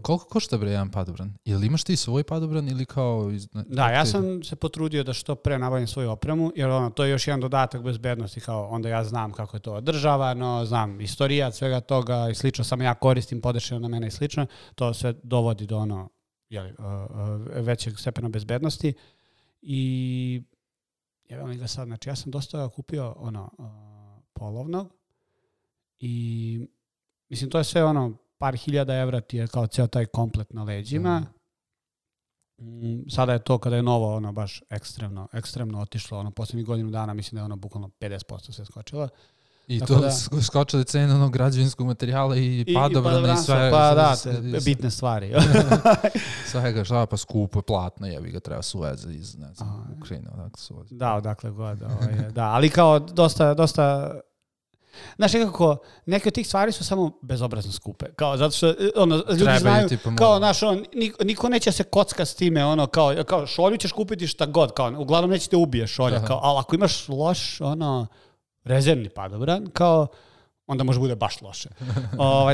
Koliko košta jedan padobran? Ili imaš ti svoj padobran ili kao... Ja sam se potrudio da što pre nabavim svoju opremu, jer to je još jedan dodatak bezbednosti, kao onda ja znam kako je to održavano, znam istorijat svega toga i slično, samo ja koristim podešeno na mene i slično, to sve dovodi do većeg stepena bezbednosti i jebam ga sad, znači ja sam dosta kupio polovnog i mislim to je sve par hiljada evra ti je kao ceo taj komplet na leđima. Sada je to kada je novo baš ekstremno otišlo, posljednjih godinu dana mislim da je bukvalno 50% se skočilo. I to skočili cene građevinskog materijala i padobrana i sve. Pa da, bitne stvari. Svega šta, pa skupo, platno, jebi ga, treba suveze iz, ne znam, Ukrajine, odakle suveze. Da, odakle god. Da, ali kao dosta... Znaš, nekako, neke od tih stvari su samo bezobrazno skupe. Kao, zato što ljudi znaju, kao, znaš, niko neće se kocka s time, kao šolju ćeš kupiti šta god, kao, uglavnom neće te ubije šolja, kao, ali ako imaš loš, rezervni padobran, kao, onda može bude baš loše.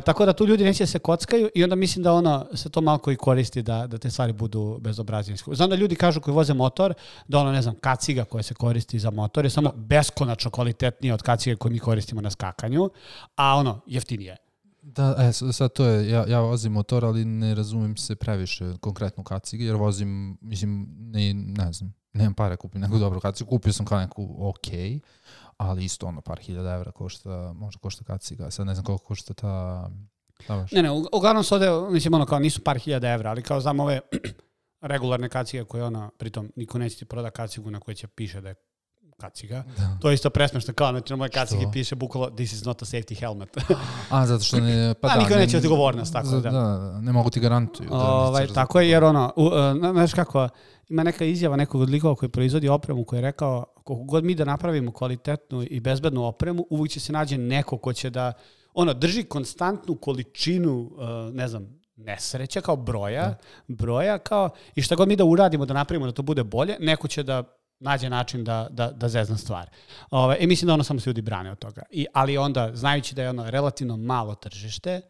Tako da tu ljudi neće se kockaju i onda mislim da se to malo i koristi da te stvari budu bezobraznije. Znam da ljudi kažu koji voze motor, da ne znam, kaciga koja se koristi za motor je samo beskonačno kvalitetnije od kacige koje mi koristimo na skakanju, a jeftinije. Da, sad to je, ja vozim motor, ali ne razumijem se previše konkretno kacige, jer vozim, mislim, ne znam, nemam pare kupim neku dobru kacigu, kupio sam kao neku okej, ali isto par hiljada evra možda košta kaciga. Sad ne znam koliko košta ta baš. Ne, uglavnom se ovde, mislim, kao nisu par hiljada evra, ali kao znam ove regularne kacige koje pritom niko neće ti proda kacigu na kojoj će piše da je kaciga. Da. To je isto presmešno, kao na moje kacigi piše bukvalo this is not a safety helmet. Zato što ne... niko neće odgovornost, tako da. Da, ne mogu ti garantuju. Tako je, jer znaš kako, ima neka izjava nekog od likova koji proizvodi opremu koji je rekao, koliko god mi da napravimo kvalitetnu i bezbednu opremu, uvijek će se nađe neko ko će da drži konstantnu količinu, ne znam, nesreća kao broja kao, i šta god mi da uradimo da napravimo da to bude bolje, neko će da nađe način da zezna stvar. I mislim da samo se ljudi brane od toga. Ali onda, znajući da je relativno malo tržište,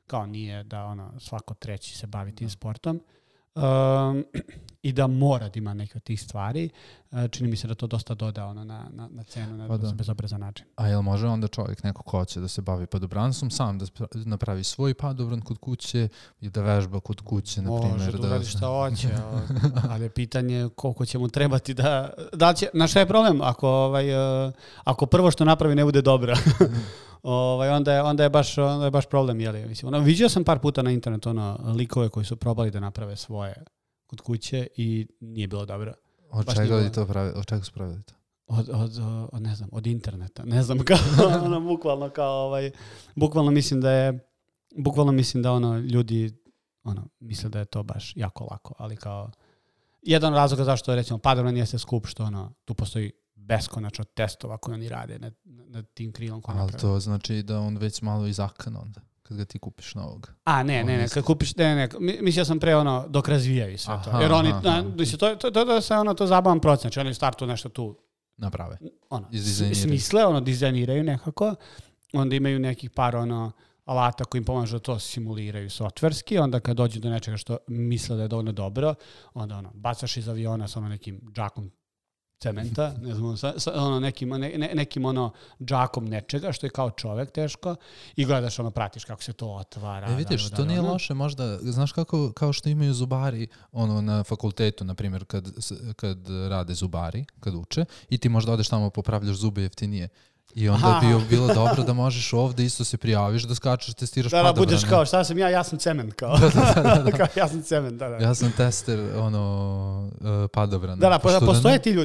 kao nije da svako treći se bavi tim sportom, i da mora da ima neke od tih stvari. Čini mi se da to dosta doda ono, na cenu na bezobrazan način. A jel može onda čovjek, neko ko će da se bavi padobranstvom, sam da napravi svoj padobran kod kuće i da vežba kod kuće, na primjer? Može da uradi šta hoće, ali je pitanje koliko će mu trebati da će, na šta je problem ako prvo što napravi ne bude dobro. Onda je baš problem, jeli? Mislim, vidio sam par puta na internetu likove koji su probali da naprave svoje kod kuće i nije bilo dobro. Od čega su pravili to? Ne znam, od interneta. Ne znam, bukvalno mislim da ljudi misle da je to baš jako lako, ali kao jedan razlog zašto je recimo padobran jeste skup što tu postoji beskonačno testova koje oni rade na tim krilom. Ali to znači da on već malo izakan onda, kad ga ti kupiš novog. Ne, kad kupiš, mislio sam pre dok razvijaju sve to. Jer oni, to zabavan proces, znači oni startu nešto tu naprave. Smisle, dizajniraju nekako, onda imaju nekih par alata koji im pomažu da to simuliraju softverski, onda kad dođu do nečega što misle da je dovoljno dobro, onda bacaš iz aviona sa nekim džakom cementa, ne znam, nekim džakom nečega, što je kao čovek teško, i gledaš, pratiš kako se to otvara. Vidiš, to nije loše možda, znaš kao što imaju zubari na fakultetu, na primjer, kad rade zubari, kad uče, i ti možda odeš tamo popravljaš zube jeftinije. I onda bi bilo dobro da možeš ovde isto se prijaviš, da skačeš, testiraš padobrane. Da, budeš kao, šta sam ja sam cement, kao. Da. Ja sam cement, da. Ja sam tester, padobrana. Da,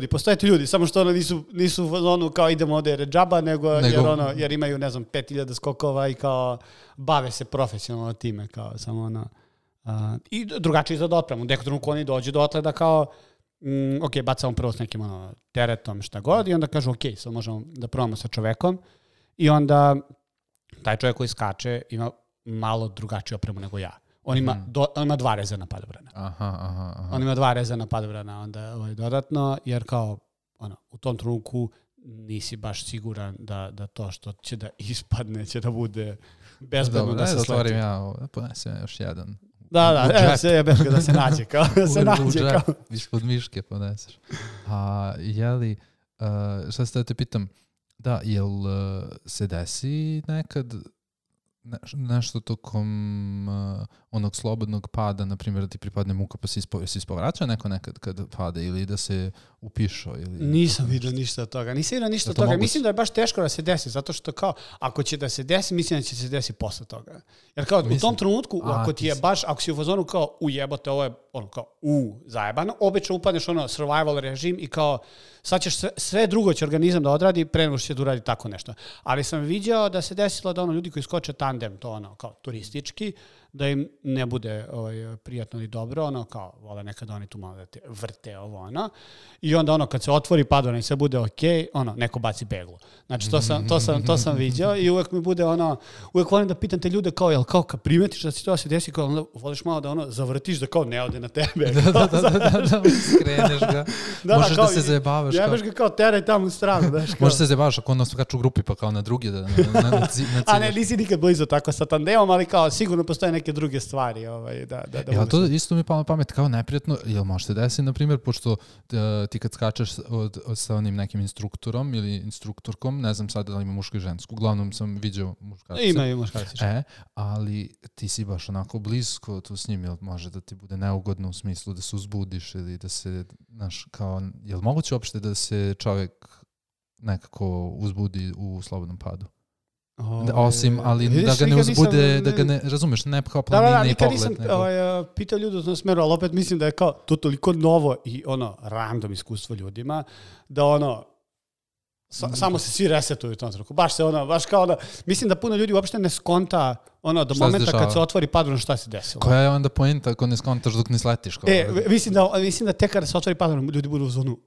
postoje ti ljudi, samo što nisu kao idemo ovde jer je džaba, jer imaju, ne znam, 5000 skokova i kao bave se profesionalno time, kao samo i drugačije za dopremu. Neko trenutku oni dođu dotle da kao bacamo prvo s nekim teretom, šta god, i onda kažu, sad možemo da probamo sa čovekom, i onda taj čovjek koji skače ima malo drugačiju opremu nego ja. On ima 2 rezervna padobrana. On ima 2 rezervna padobrana onda dodatno, jer kao u tom trenutku nisi baš siguran da to što će da ispadne će da bude bezbedno da se sleti. Zatvorim ponesem još jedan. Da, sve je beška da se nađe kao. Ispod miške poneseš. A jeli, šta se da te pitam, da, jel se desi nekad nešto tokom onog slobodnog pada, na primjer da ti pripadne muka pa se ispovraća neko nekad kad pade, ili da se upišao? Nisam vidio ništa od toga. Mislim da je baš teško da se desi, zato što kao, ako će da se desi, mislim da će se desi posle toga. Jer kao u tom trenutku, ako si u fazonu kao ujebote, ovo je kao zajebano, obično upadneš survival režim i kao sad ćeš sve drugo će organizam da odradi pre nego što će da uradi tako nešto. Ali sam vidio da se desilo da ljudi koji skoče tandem, to kao turistički, da im ne bude prijatno i dobro, kao vole nekada oni tu malo da te vrte i onda kad se otvori padobran i sve bude neko baci beglu. Znači to sam vidio i uvek mi bude uvek volim da pitam te ljude kao, jel kao kad primetiš da se to se desi, kao onda voliš malo da zavrtiš da kao ne ode na tebe. Da, skreneš ga. Možeš da se zajebavaš. Jebeš ga kao teraj tamo u stranu. Možeš se zajebavaš ako onda skaču u grupi pa kao na drugi da a ne, nisi nikad blizu tako sa tandemom, ali kao sigurno postoje neke druge stvari. Ja, to isto mi palo na pamet kao neprijatno, jel može se desiti, na primjer, pošto ti kad skačeš sa onim nekim instruktorom ili instruktorkom, ne znam sad da li ima muško i žensko, uglavnom sam vidio muškarce. Ima i muškarci. Ali ti si baš onako blisko tu s njim, jel može da ti bude neugodno u smislu da se uzbudiš ili da se, znaš, kao, jel moguće uopšte da se čovjek nekako uzbudi u slobodnom padu? Osim, ali da ga ne uzbude, da ga ne, razumeš, ne kao planine i pogled. Nikad nisam pitao ljudi u tom smeru, ali opet mislim da je kao to toliko novo i random iskustvo ljudima, da samo se svi resetuju u tom trenutku. Baš kao mislim da puno ljudi uopšte ne skonta do momenta kad se otvori padobran šta se desilo. Koja je onda poenta ako ne skontaš dok ne sletiš? Mislim da tek kada se otvori padobran ljudi budu u zonu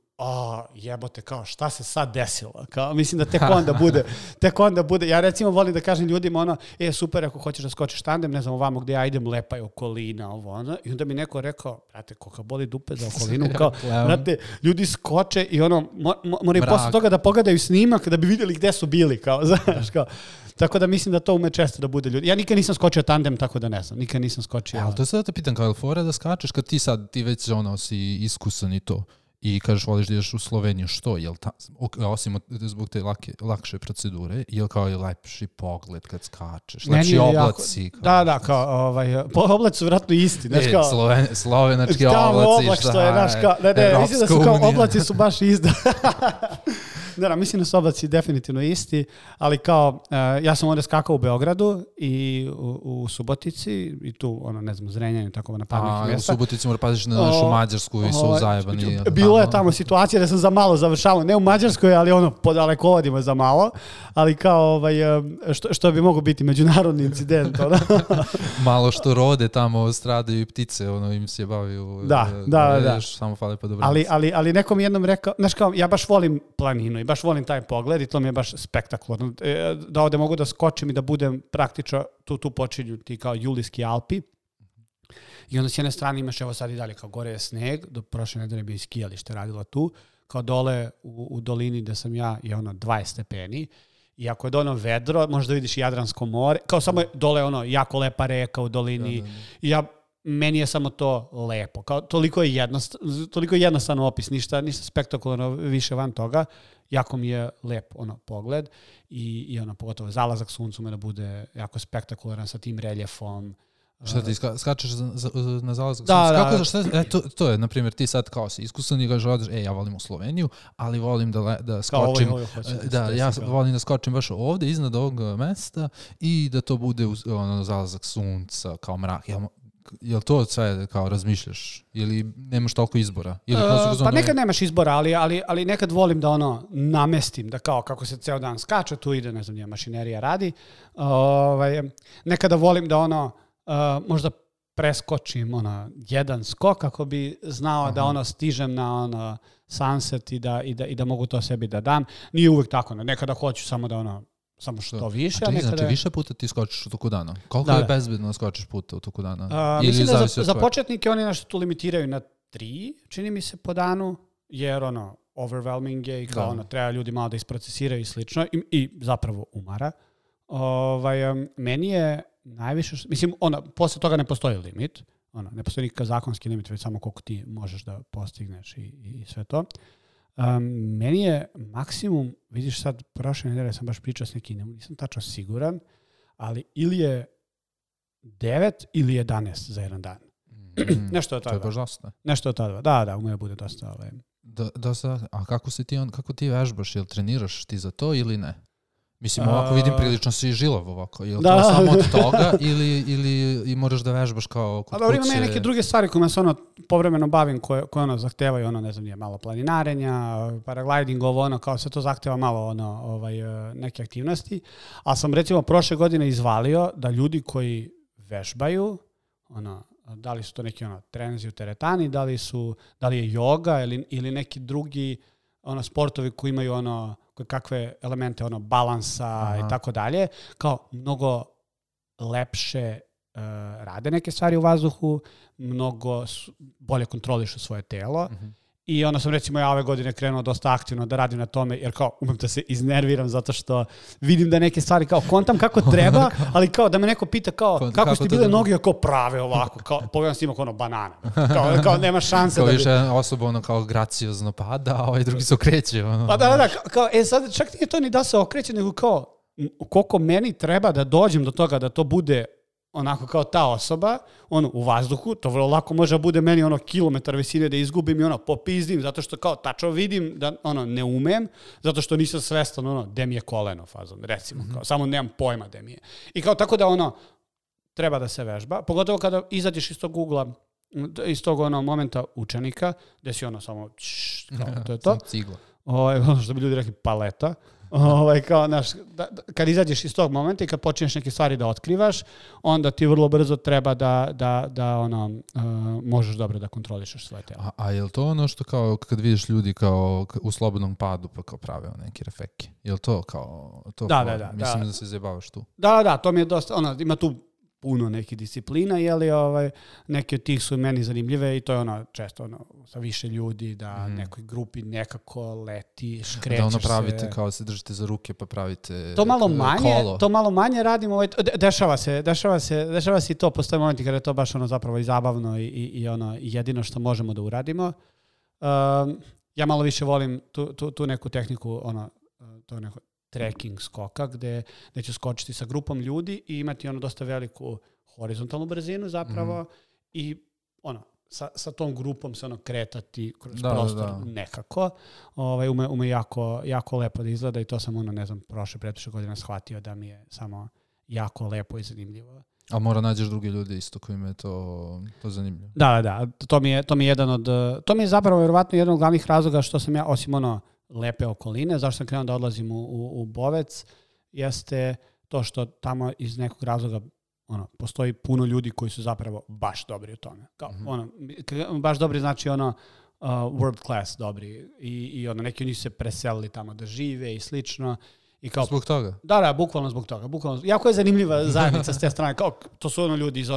jebote, kao šta se sad desilo? Kao, mislim da tek onda bude. Ja recimo volim da kažem ljudima ono, super ako hoćeš da skočiš tandem, ne znam ovamo gdje ja idem, lepa je okolina, ovo ono. I onda mi neko rekao, brate, koliko boli dupe za okolinu, kao, brate, ljudi skoče i ono, moraju posle toga da pogledaju snimak da bi vidjeli gde su bili, kao, znaš, kao. Tako da mislim da to ume često da bude ljudi. Ja nikad nisam skočio tandem, tako da ne znam. Nikad nisam skočio. Ali to sad da te pitam, kao je fora da skačeš kad ti već ono si iskusan i to i kažeš voliš da ideš u Sloveniju, što? Jel osim zbog te lakše procedure, jel kao je lepši pogled kad skačeš? Lepši oblaci? Da, kao oblaci su vratno isti. Znaš, kao, slovenački oblaci. Mislim da su kao oblaci su baš isti. Da, mislim da su oblaci definitivno isti, ali kao, ja sam ovdje skakao u Beogradu i u Subotici i tu, ne znam, Zrenjanju, tako na parnih mjesta. U Subotici mora paziš na našu Mađarsku i su zajebani. Bilo je tamo situacija da sam za malo završavao, ne u Mađarskoj, ali po dalekovodima za malo, ali kao, što bi moglo biti međunarodni incident. Malo što rode tamo, stradaju i ptice, im se baviju. Da. Samo fale pa dobro. Ali nekom jednom rekao, znaš kao, ja baš volim planinu i baš volim taj pogled i to mi je baš spektakularno. Da ovdje mogu da skočim i da budem praktično, tu počinju ti kao Julijski Alpi. I onda s jedne strane imaš, evo sad i dalje, kao gore je sneg, do prošle nedelje bi skijalište radila tu, kao dole u dolini gde sam ja je 20 stepeni. I ako je vedro, možda vidiš Jadransko more, kao samo je dole jako lepa reka u dolini. I meni je samo to lepo. Kao, toliko je jednostavno opis, ništa spektakularno više van toga. Jako mi je lep pogled i pogotovo zalazak suncu me da bude jako spektakularan sa tim reljefom. Šta ti skačeš na zalazak sunca? To je, na primjer, ti sad kao si iskusan i kažeš, ja volim u Sloveniju, ali volim da skočim. Ja volim da skočim baš ovdje, iznad ovog mesta i da to bude zalazak sunca, kao mrak. Jel to sve kao razmišljaš? Ili nemaš toliko izbora? Pa nekad nemaš izbora, ali nekad volim da namestim, da kao kako se ceo dan skače, tu ide, ne znam, mašinerija radi. Nekada volim da možda preskočim jedan skok kako bi znao da stižem na sunset i da mogu to sebi da dam. Nije uvijek tako, nekada hoću samo da samo što više. Znači više puta ti skočiš u toku dana? Koliko je bezbedno skočiš puta u toku dana? Mislim da za početnike oni nešto tu limitiraju na 3, čini mi se, po danu, jer overwhelming je i kao treba ljudi malo da isprocesiraju i slično i zapravo umara. Meni je najviše, mislim, posle toga ne postoji limit, ne postoji nikakav zakonski limit, već samo koliko ti možeš da postigneš i sve to. Meni je maksimum, vidiš sad, prošle nedelje sam baš pričao s nekim, nisam tačno siguran, ali ili je 9 ili 11 za jedan dan. Nešto od tada. To je baš dosta. Nešto od tada, da, ume bude dosta. A kako ti vežbaš, jel treniraš ti za to ili ne? Mislim, ovako vidim prilično si žilav ovako. Je li to samo od toga ili moraš da vežbaš kao kod kuće? Ima neke druge stvari kojima se povremeno bavim, koje zahtevaju, ne znam, nije malo planinarenja, paragliding, kao se to zahteva malo neke aktivnosti. Ali sam recimo prošle godine izvalio da ljudi koji vežbaju, da li su to neki treninzi u teretani, da li je joga ili neki drugi sportovi koji imaju kakve elemente balansa i tako dalje, kao mnogo lepše rade neke stvari u vazduhu, mnogo bolje kontrolišu svoje telo. I onda sam recimo ja ove godine krenuo dosta aktivno da radim na tome, jer kao umem da se iznerviram zato što vidim da neke stvari kao kontam kako treba, ali kao da me neko pita kao kako su ti bile noge kao prave ovako, kao pogledam snimak banana, kao nema šanse. Kao više osoba kao graciozno pada, a ovaj drugi se okreće. Pa da, kao sad čak nije to ni da se okreće, nego kao koliko meni treba da dođem do toga da to bude onako kao ta osoba, u vazduhu, to vrlo lako može da bude meni kilometar visine da izgubim i popizdim, zato što kao tačno vidim da ne umem, zato što nisam svestan gde mi je koleno fazom, recimo, kao, samo nemam pojma gde mi je. I kao tako da treba da se vežba, pogotovo kada izađeš iz tog ugla, iz tog momenta učenika, gde si samo, kao, to je to. Cigla. Što bi ljudi rekli, paleta. Kao, kad izađeš iz tog momenta i kad počneš neke stvari da otkrivaš, onda ti vrlo brzo treba da možeš dobro da kontrolišeš svoje telo. A je li to ono što kao kad vidiš ljudi kao u slobodnom padu pa kao prave neki refeki? Je li to kao... To Da. Mislim da se zajebavaš tu. Da, to mi je dosta... ima tu puno nekih disciplina, neke od tih su meni zanimljive i to je često sa više ljudi, da nekoj grupi nekako leti, škrećeš se. Da pravite kao se držite za ruke pa pravite kolo. To malo manje radimo, dešava se i to, postoje momenti kada je to baš zapravo i zabavno i jedino što možemo da uradimo. Ja malo više volim tu neku tehniku, to neko trekking skoka, gde ću skočiti sa grupom ljudi i imati dosta veliku horizontalnu brzinu zapravo i sa tom grupom se kretati kroz prostor nekako. Ume jako lepo da izgleda i to sam prošle godina shvatio da mi je samo jako lepo i zanimljivo. A mora nađeš druge ljude isto kojima je to zanimljivo. Da, to mi je jedan od... To mi je zapravo vjerovatno jedan od glavnih razloga što sam ja, osim lepe okoline, zašto sam krenuo da odlazim u Bovec, jeste to što tamo iz nekog razloga postoji puno ljudi koji su zapravo baš dobri u tome. Baš dobri znači world class dobri i neki od njih se preselili tamo da žive i slično. I kao, zbog toga? Da, bukvalno zbog toga. Jako je zanimljiva zajednica s te strane. To su ljudi iz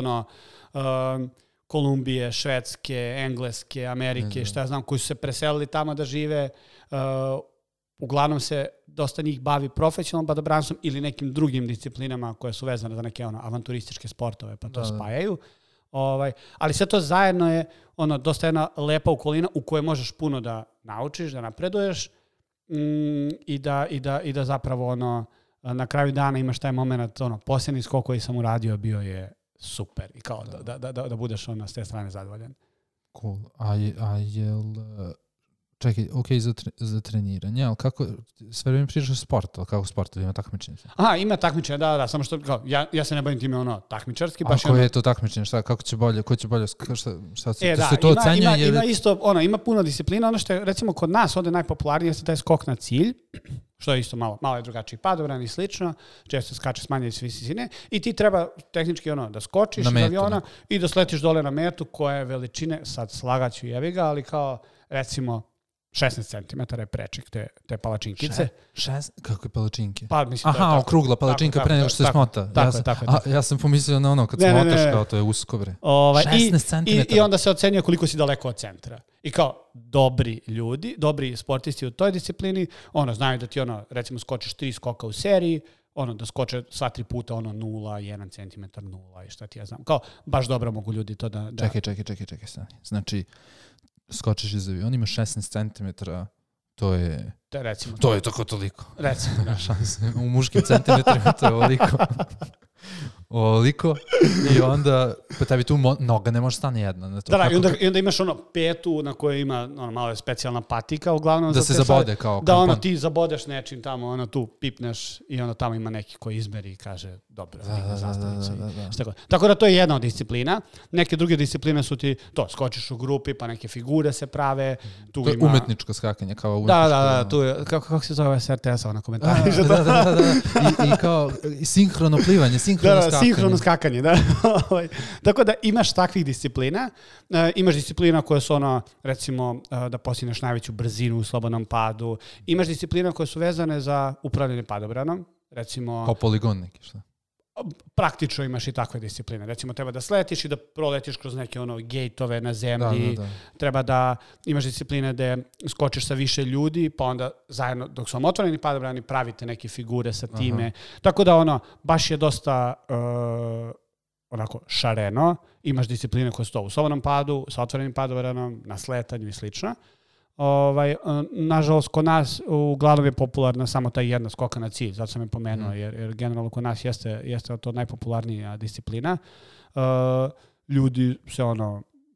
Kolumbije, Švedske, Engleske, Amerike, šta ja znam, koji su se preselili tamo da žive. Uglavnom se dosta njih bavi profesionalnom padobranstvom ili nekim drugim disciplinama koje su vezane za neke avanturističke sportove, pa to spajaju. Ali sve to zajedno je dosta jedna lepa okolina u kojoj možeš puno da naučiš, da napreduješ i da zapravo na kraju dana imaš taj moment, posljednji skok koji sam uradio bio je super i kao da budeš s te strane zadovoljan. Cool. A jel... Čekaj, za treniranje, ali kako, sve vreme pričaš sport, ali kako sport, ili ima takmičenje? Aha, ima takmičenje, da, samo što, ja se ne bavim time takmičarski. A koje je to takmičenje, kako će bolje, ko će bolje, šta se to ocenjuje? Ima isto, ima puno disciplina, ono što je, recimo, kod nas ovde najpopularnije jeste taj skok na cilj, što je isto malo je drugačiji padobran i slično, često skače s manje visine i ti treba tehnički da skočiš iz aviona i da sletiš dole na metu koja je veličine, sad slagaću jebiga, ali kao, recimo, 16 cm je prečik te palačinkice. Kako je palačinke? Pa, mislim, aha, okrugla palačinka pre nego što se smota. Ja sam pomislio na kad smotaš, kao to je usko, bre. 16 cm. I onda se ocenjuje koliko si daleko od centra. I kao dobri ljudi, dobri sportisti u toj disciplini, znaju da ti recimo skočiš 3 skoka u seriji, da skoče sva 3 puta 0, 1 cm, 0 i šta ti ja znam. Kao, baš dobro mogu ljudi to da... Čekaj, stani. Znači, skočiš iz aviona, ima 16 cm, to je... Recimo. To je tako toliko. Recimo, da. U muškim centimetrima to je ovoliko. I onda, pa tebi tu noga ne može stane jedna. Na to. I onda imaš petu na kojoj ima malo specijalna patika, uglavnom. Da se zabode kao kampan. Da ti zabodeš nečim tamo, tu pipneš i onda tamo ima neki koji izmeri i kaže dobro, digna zastavica. Tako da to je jedna od disciplina. Neke druge discipline su ti to, skočiš u grupi, pa neke figure se prave. To je umetničko skakanje, kao umetničko. Da, tu je, kako se zove s RTS-a na komentari. Da. I kao sinhrono plivanje, sinhrono skakanje, da. Tako da imaš takvih disciplina. Imaš disciplina koje su recimo, da postigneš najveću brzinu u slobodnom padu. Imaš disciplina koje su vezane za upravljanje padobranom. Recimo... Kao poligon neki, šta? Praktično imaš i takve discipline. Recimo, treba da sletiš i da proletiš kroz neke gejtove na zemlji. Da. Treba da imaš discipline da skočiš sa više ljudi, pa onda zajedno, dok su vam otvoreni padobrani, pravite neke figure sa time. Aha. Tako da baš je dosta onako šareno. Imaš discipline koje su to u slobodnom padu, sa otvorenim padobranom, na sletanju i slično. Nažalost, kod nas uglavnom je popularna samo ta jedna skoka na cilj, zato sam je pomenuo, jer generalno kod nas jeste to najpopularnija disciplina. Ljudi se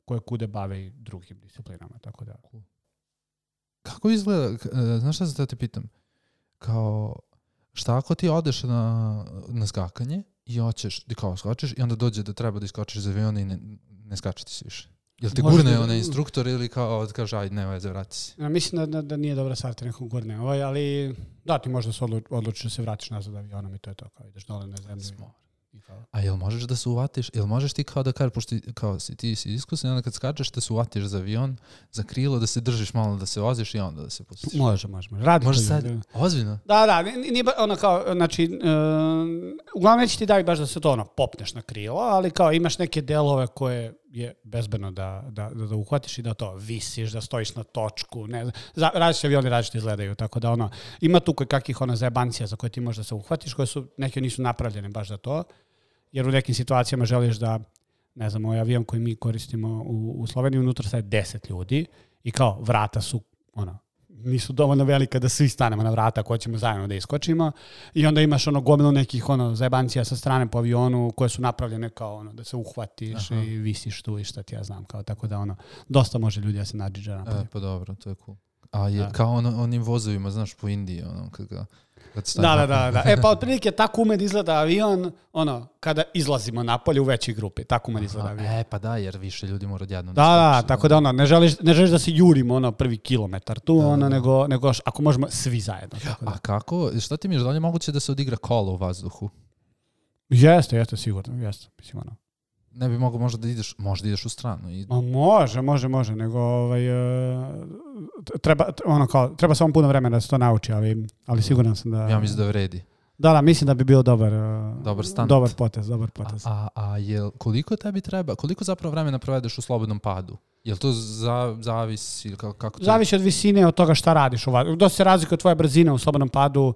koje kude bave i drugim disciplinama, tako da. Kako izgleda, znaš šta da te pitam, kao šta ako ti odeš na skakanje i hoćeš, kao skočiš i onda dođe da treba da iskočiš iz aviona i ne skače ti se više? Jel te gurne onaj instruktor ili kao kaže aj ne veze vrati se? Ja mislim da nije dobra stvar te nekog gurne. Ali da ti možda se odlučiš da se vratiš nazad avionom i to je to. Kao ideš dole na zemlju. A jel možeš da se uvatiš, jel možeš ti kao da kažeš, pošto kao ti si iskusan, onda kad skačeš da se uvatiš za avion, za krilo, da se držiš malo, da se voziš i onda da se pustiš? Može. Radi može to. Sad, ozbiljno? Da, nije ono kao, znači, uglavnom neće ti daju baš da se to ono, popneš na krilo, ali kao imaš neke delove koje je bezbedno da uhvatiš i da to visiš, da stojiš na točku, ne znam, različite avioni različite izgledaju, tako da ono, ima tu kakvih zajebancija za koje ti možeš da se uhvatiš, koje su, neke nisu napravljene baš za to, jer u nekim situacijama želiš da, ne znam, ovaj avion koji mi koristimo u Sloveniji, unutra sad 10 ljudi i kao vrata su, nisu dovoljno velika da svi stanemo na vrata ako ćemo zajedno da iskočimo i onda imaš gomilu nekih zajebancija sa strane po avionu koje su napravljene kao da se uhvatiš i visiš tu i šta ti ja znam, kao tako da dosta može ljudi da se nadžiđa napolje. Pa dobro, to je cool. A je kao onim vozovima, znaš, po Indiji, kada Da. Pa otprilike tako ume da izgleda avion, kada izlazimo napolje u većoj grupi, tako ume da izgleda avion. Pa da, jer više ljudi mora odjedno. Da, tako da ne želiš da se jurimo prvi kilometar tu, nego ako možemo svi zajedno. Tako da. A kako, šta ti misliš, da li je moguće da se odigra kolo u vazduhu? Jeste, sigurno, jeste, mislim Ne bi mogo možda da ideš u stranu. Može, nego treba samo puno vremena da se to nauči, ali siguran sam da... Ja mislim da vredi. Da, mislim da bi bio dobar potez. A koliko tebi treba, koliko zapravo vremena provedeš u slobodnom padu? Jel to zavisi? Kako to... Zavisi od visine, od toga šta radiš. Dosta se razlikuje tvoja brzina u slobodnom padu,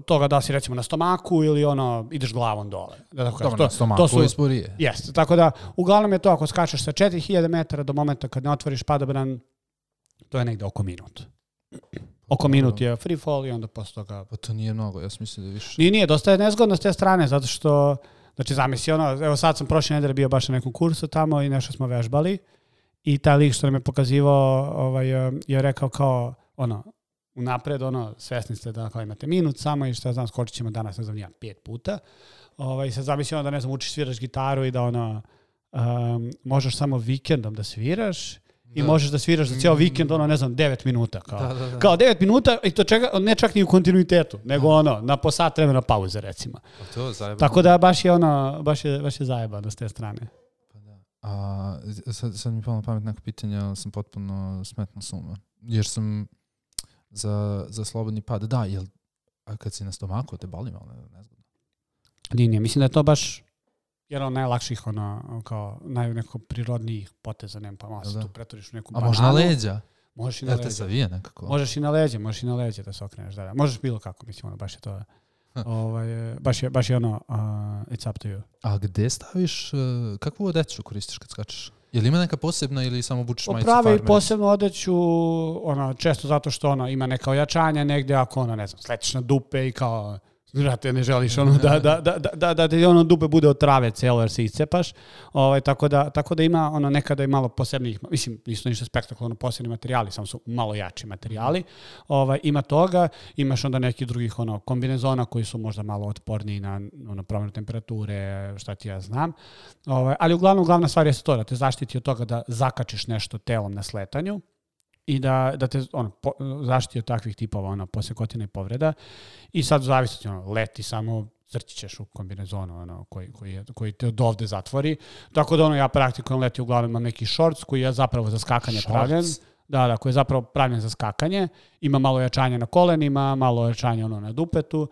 toga da si recimo na stomaku ili ideš glavom dole. Dobro, na stomaku je sporije. Jeste, tako da uglavnom je to ako skačeš sa 4000 metara do momenta kad ne otvoriš padobran, to je negde oko minut. Oko minut je free fall i onda posle toga... Pa to nije mnogo, ja sam mislio da više... Nije, dosta je nezgodno s te strane, zato što, znači zamisli evo sad sam prošle nedelje bio baš na nekom kursu tamo i nešto smo vežbali i taj lik što nam je pokazivao je rekao kao, unapred, svesni ste da imate minut samo i što znam, skočit ćemo danas, ne znam, 5 puta. I sad zamisli da, ne znam, učiš sviraš gitaru i da možeš samo vikendom da sviraš i možeš da sviraš za cijel vikend, ne znam, 9 minuta. Kao 9 minuta i to ne čak ni u kontinuitetu, nego na po sat vremena pauze, recimo. Tako da baš je zajebano s te strane. A sad mi palo na pamet neko pitanje, ali sam potpuno smetno suma. Jer sam za slobodni pad, da, a kad si na stomaku, te boli malo, nezgodno. Nije, mislim da je to baš jedan od najlakših, kao nekako prirodnijih poteza, nema pa malo se tu pretvoriš u neku bananu. A možda na leđa? Možeš i na leđa. Te savije nekako? Možeš i na leđa da se okreneš, da. Možeš bilo kako, mislim, baš je to... baš je it's up to you. A gde staviš, kakvu odeću koristiš kad skačeš? Je li ima neka posebna ili samo obučeš majicu farmer? Popravi posebnu odeću, često zato što ima neka ojačanja negde, ako ne znam, sletiš na dupe i kao, znate, ne želiš da ti dupe bude od trave celo jer se iscepaš, tako da ima nekada i malo posebnih, mislim, nisu ništa spektakularno posebni materijali, samo su malo jači materijali, ima toga, imaš onda nekih drugih kombinezona koji su možda malo otporniji na promjenu temperature, šta ti ja znam, ali uglavnom glavna stvar je to da te zaštiti od toga da zakačiš nešto telom na sletanju i da te zaštiti od takvih tipova posekotina i povreda i sad zavisi leti samo crći ćeš u kombinezonu koji te od ovde zatvori, tako da ja praktikujem leti uglavnom imam neki shorts koji je zapravo za skakanje pravljen, koji je zapravo pravljen za skakanje, ima malo jačanja na kolenima, malo jačanja na dupetu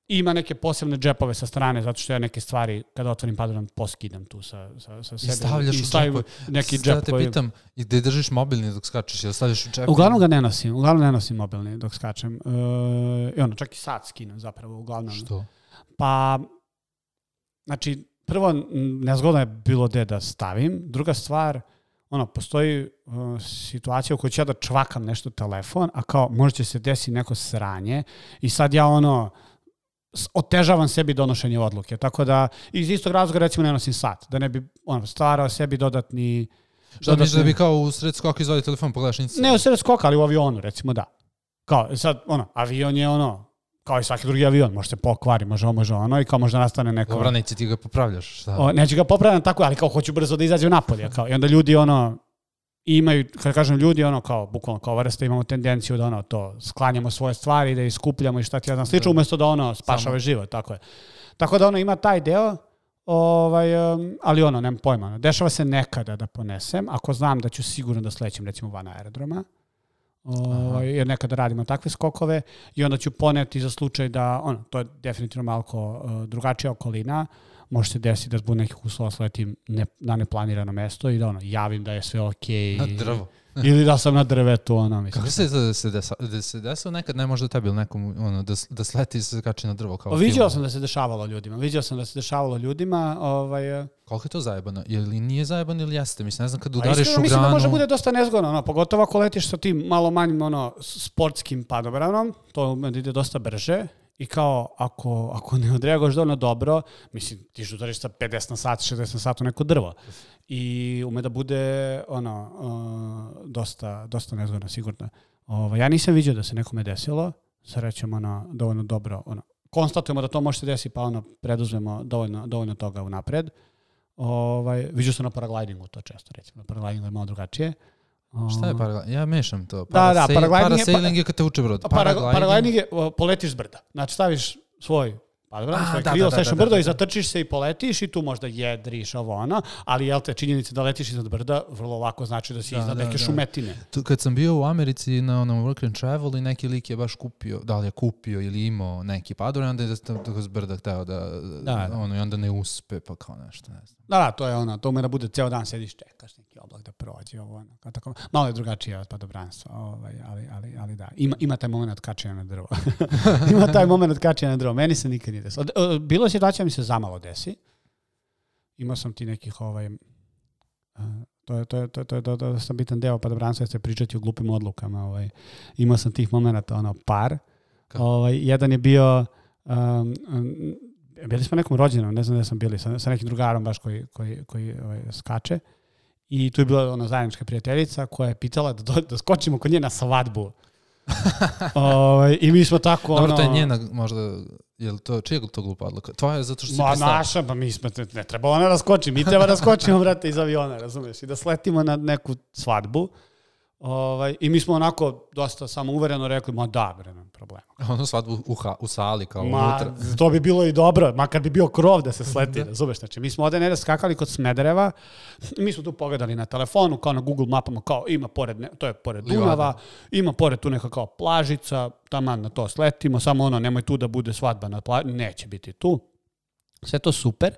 i ima neke posebne džepove sa strane, zato što ja neke stvari, kada otvorim padobran, poskidam tu sa sebe. I stavljaš u džep. Neki džep te pitam, i gde držiš mobilni dok skačeš, ili stavljaš u džep? Uglavnom ga ne nosim mobilni dok skačem. Čak i sat skinem zapravo, uglavnom. Što? Pa, znači, prvo, nezgodno je bilo gde da stavim. Druga stvar, postoji situacija u kojoj ću ja da čvakam nešto telefon, a kao možda će se desiti neko sranje i sad ja otežavam sebi donošenje odluke. Tako da iz istog razloga recimo ne nosim sat, da ne bi stvarao sebi dodatni... Šta misliš da bi kao u sred skoka izvadi telefon, pogledaš nici? Ne u sred skoka, ali u avionu recimo da. Kao sad, avion je kao i svaki drugi avion, može se pokvari, može ono i kao možda nastane neko... Dobro, neće ti ga popravljaš, šta? Neće ga popravljam tako, ali kao hoću brzo da izađe napolje, kao i onda ljudi imaju, kada kažem ljudi, kao, bukvalno kao vrsta, imamo tendenciju da to, sklanjamo svoje stvari, da ih skupljamo i šta ti ja znam slično, umjesto da spašava život, tako je. Tako da ima taj deo, ali nemam pojma. Dešava se nekada da ponesem, ako znam da ću sigurno da slećem, recimo, van aerodroma, jer nekada radimo takve skokove i onda ću poneti za slučaj da, to je definitivno malo drugačija okolina, može se desiti da zbog nekih uslova sletim na neplanirano mesto i da javim da je sve okej. Na drvo. Ili da sam na drvetu, mislim. Kako se desilo nekad, ne možda tebi ili nekom, da sleti i se kači na drvo kao vidio sam da se dešavalo ljudima. Koliko je to zajebano? Ili nije zajebano ili jeste? Mislim, ne znam kad udariš u granu... Mislim da može bude dosta nezgodno, pogotovo ako letiš sa tim malo manjim sportskim padobranom, to ide dosta brže. I kao, ako ne odreaguješ dovoljno dobro, mislim, ti što udariš sa 50 na sat, 60 na sat u neko drvo. I ume da bude, dosta nezgodno, sigurno. Ja nisam vidio da se nekome desilo, srećom, dovoljno dobro, konstatujemo da to može se desiti, pa preduzmemo dovoljno toga unapred. Vidio sam na paraglidingu to često, recimo. Na paraglidingu je malo drugačije. Šta je paragliding? Ja mešam to. Parasailing je kad te uče brod. Paragliding je poletiš s brda. Znači staviš svoj padobran, svoje krilo, staviš na brdo i zatrčiš se i poletiš i tu možda jedriš ali činjenica da letiš iznad brda vrlo lako znači da si iznad neke šumetine. Kad sam bio u Americi na work and travel i neki lik je baš kupio, da li je kupio ili imao neki padobran, onda je tako s brda hteo i onda ne uspe pa kao nešto, ne znam. Da, to je to da bude ceo dan sediš, čekaš neki oblak da prođe, tako. Malo je drugačije od padobranstva, ali da, ima taj moment kačenja na drvo. Meni se nikad nije desilo. Bilo je situacija mi se zamalo desi. Imao sam ti nekih to je dosta bitan deo padobranstva, se pričati o glupim odlukama. Imao sam tih momenta par. Jedan je bio bili smo nekom rođenom, ne znam da sam bili, sa nekim drugarom baš koji skače. I tu je bila zajednička prijateljica koja je pitala da skočimo kod nje na svadbu. I mi smo tako... Dobro, to je njena možda... Čija je to glupa odluka? Tvoja je zato što si pristala? Naša, pa mi smo... Ne treba ona da skoči, mi treba da skočimo, brate, iz aviona, razumiješ? I da sletimo na neku svadbu. I mi smo onako dosta samouvereno rekli, ma da, bre, nema problema. Ono svadbu u sali kao unutra. To bi bilo i dobro, makar bi bio krov da se sleti, razumeš? Znači, mi smo ovdje skakali kod Smedereva, mi smo tu pogledali na telefonu, kao na Google mapama, kao ima pored, to je pored Dunava, ima pored tu neka kao plažica, taman na to sletimo, samo nemoj tu da bude svadba na plaži, neće biti tu. Sve to super.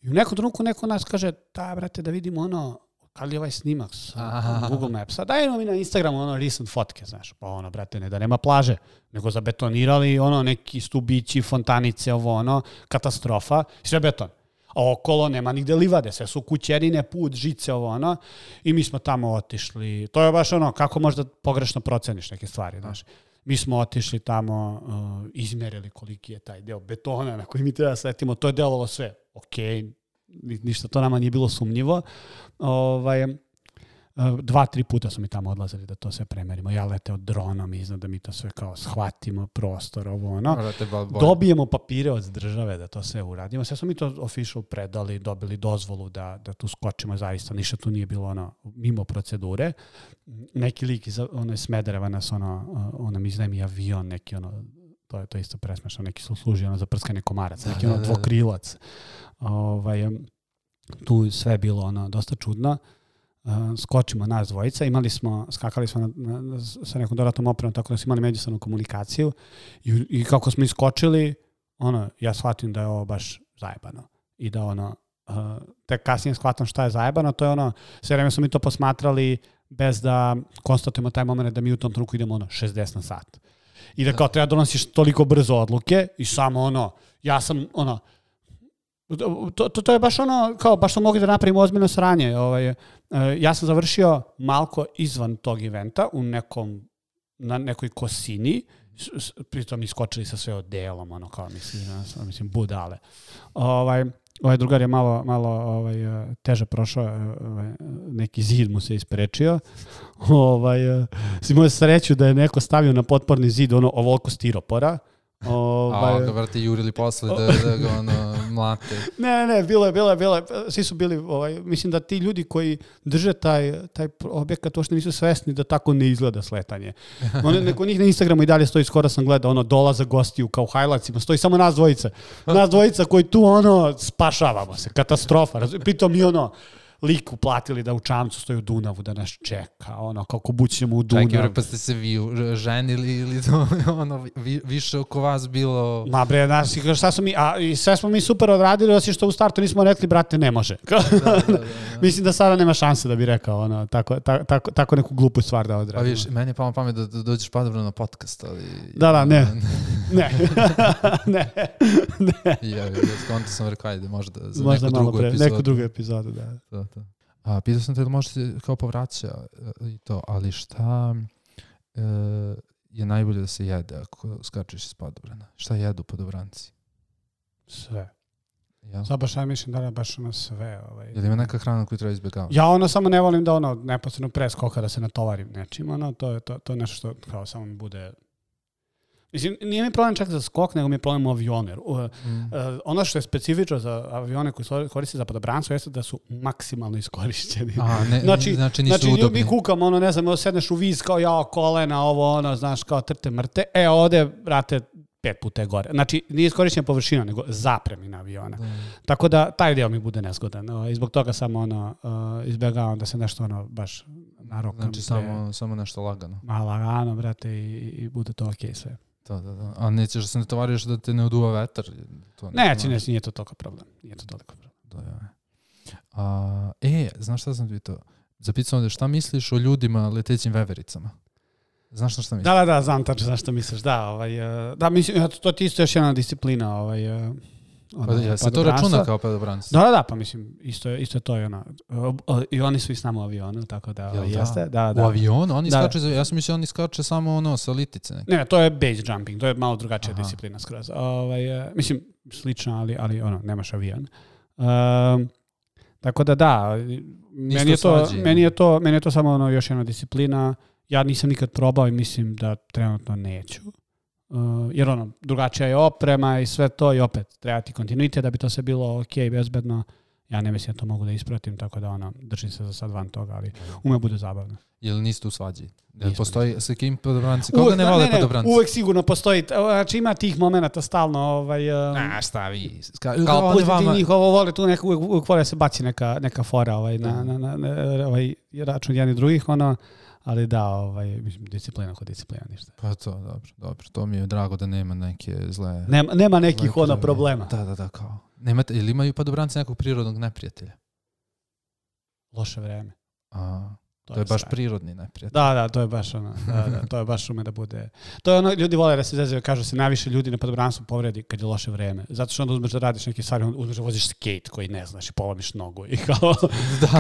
I u nekom trenutku neko nas kaže, da, brate, da vidimo ali ovaj snimak sa Google Mapsa, dajemo mi na Instagramu recent fotke, znaš, pa brate, ne da nema plaže, nego zabetonirali neki stubići, fontanice, katastrofa, sve beton. A okolo nema nigde livade, sve su kućerine, put, žice, i mi smo tamo otišli, to je baš kako možda pogrešno proceniš neke stvari, znaš. Mi smo otišli tamo, izmerili koliki je taj deo betona na koji mi treba sletimo, to je delovalo sve, okej, ništa, to nama nije bilo sumnjivo. 2-3 puta su mi tamo odlazili da to sve premerimo. Ja leteo dronom iznad da mi to sve kao shvatimo prostor, Dobijemo papire od države da to sve uradimo. Sve smo mi to official predali, dobili dozvolu da tu skočimo zaista. Ništa tu nije bilo mimo procedure. Neki lik iz Smedereva nas mi iznajmi avion, neki to je isto presmešno, neki su služi za prskanje komaraca, neki dvokrilac. Tu sve je bilo dosta čudno. Skočimo nas dvojica, skakali smo sa nekom dodatnom opremom, tako da smo imali međusobnu komunikaciju i kako smo iskočili, ja shvatim da je ovo baš zajebano i da tek kasnije shvatam šta je zajebano, to je sve vreme smo mi to posmatrali bez da konstatujemo taj moment da mi u tom trenutku idemo 60 na sat. I da kao treba donosiš toliko brzo odluke i samo ja sam to je baš kao baš smo mogli da napravimo ozbiljno sranje. Ja sam završio malko izvan tog eventa na nekoj kosini, pritom iskočili sa sve odelom, kao mislim budale. Ovaj drugar je malo teže prošao, neki zid mu se isprečio. Imao sreću da je neko stavio na potporni zid ovoliko stiropora, A ga vrati jurili posle da ga ono mlate. Ne, bilo je, svi su bili, mislim da ti ljudi koji drže taj objekat uopšte nisu svesni da tako ne izgleda sletanje. Neko njih na Instagramu i dalje stoji, skoro sam gledao, dolaza gostiju kao u highlightsima, stoji samo nas dvojica koji tu spašavamo se, katastrofa, pritom i lik uplatili da u čamcu stoji u Dunavu da nas čeka, kako bućemo u Dunavu. Čekaj, pa ste se vi ženili ili više oko vas bilo... Ma bre, šta smo mi, i sve smo mi super odradili, osim što u startu nismo rekli, brate, ne može. Da. Mislim da sada nema šanse da bi rekao, tako neku glupu stvar da odradi. Pa viš, meni je palo pamet da dođeš padobro na podcast, ali... Da, ne. Ja, skonto sam rekao, ajde, možda za neku drugu epizodu, da. A pitao sam te da možete kao povraća i to, ali šta je najbolje da se jede ako skačeš iz padobrana? Šta jedu padobranci? Sve. Ja? Sad baš ja mislim da je baš sve. Je li ima neka hrana koju treba izbjegavati? Ja samo ne volim da neposredno pre skoka da se natovarim nečim. To je nešto što kao samo mi bude... Mislim, nije mi problem čak za skok, nego mi je problem u avionu. Ono što je specifično za avione koji koriste za padobranstvo jeste da su maksimalno iskorišćeni. Znači nisu udobni. Mi kukamo, ne znam, sedneš u viz kao kolena, znaš, kao trte mrte. Ovde, brate, 5 puta je gore. Znači, nije iskorišćena površina, nego zapremina aviona. Tako da, taj deo mi bude nezgodan. I zbog toga samo izbjegavam da se nešto baš narokam. Znači, samo nešto lagano. Lagano, brate, i bude to okej sve. Da. A nećeš da se ne tovariš da te ne uduva vetar? Nije to toliko problem. Znaš šta sam pitao? Zapitao ovdje, šta misliš o ljudima letećim vevericama? Znaš na šta misliš? Da, znam tačno znaš šta misliš. Da, mislim, to ti isto još jedna disciplina. Se to računa kao padobranci? Da, pa mislim, isto je to i oni su i s nama u avionu, tako da jeste. Da. U avionu? Oni skače, ja sam mislio oni skače samo sa litice. Ne, to je base jumping, to je malo drugačija disciplina skroz. Mislim, slično, ali nemaš avion. Tako da, meni je to samo još jedna disciplina. Ja nisam nikad probao i mislim da trenutno neću. Jer drugačija je oprema i sve to i opet treba ti kontinuitet da bi to sve bilo okej, bezbedno. Ja ne mislim da to mogu da ispratim, tako da držim se za sad van toga, ali ume bude zabavno. Jel niste u svađi? Postoji sa kim padobranci? Koga ne vole padobranci? Uvek sigurno postoji. Znači ima tih momenata stalno. Šta vi? Kao pustiti njih, vole tu uvek vole se baci neka fora na račun jednih drugih, ali da, disciplina kod disciplina, ništa. Pa to, dobro. To mi je drago da nema neke zle... Nema nekih problema. Da, kao. Ili imaju padobranci nekog prirodnog neprijatelja? Loše vreme. To je baš prirodni neprijatelj. Da, to je baš to je baš ume da bude... To je ljudi vole da se zezaju, kažu se najviše ljudi na padobranstvu povredi kad je loše vreme. Zato što onda uzmeš da radiš neke stvari, uzmeš da voziš skate koji ne znaš i polomiš nogu i kao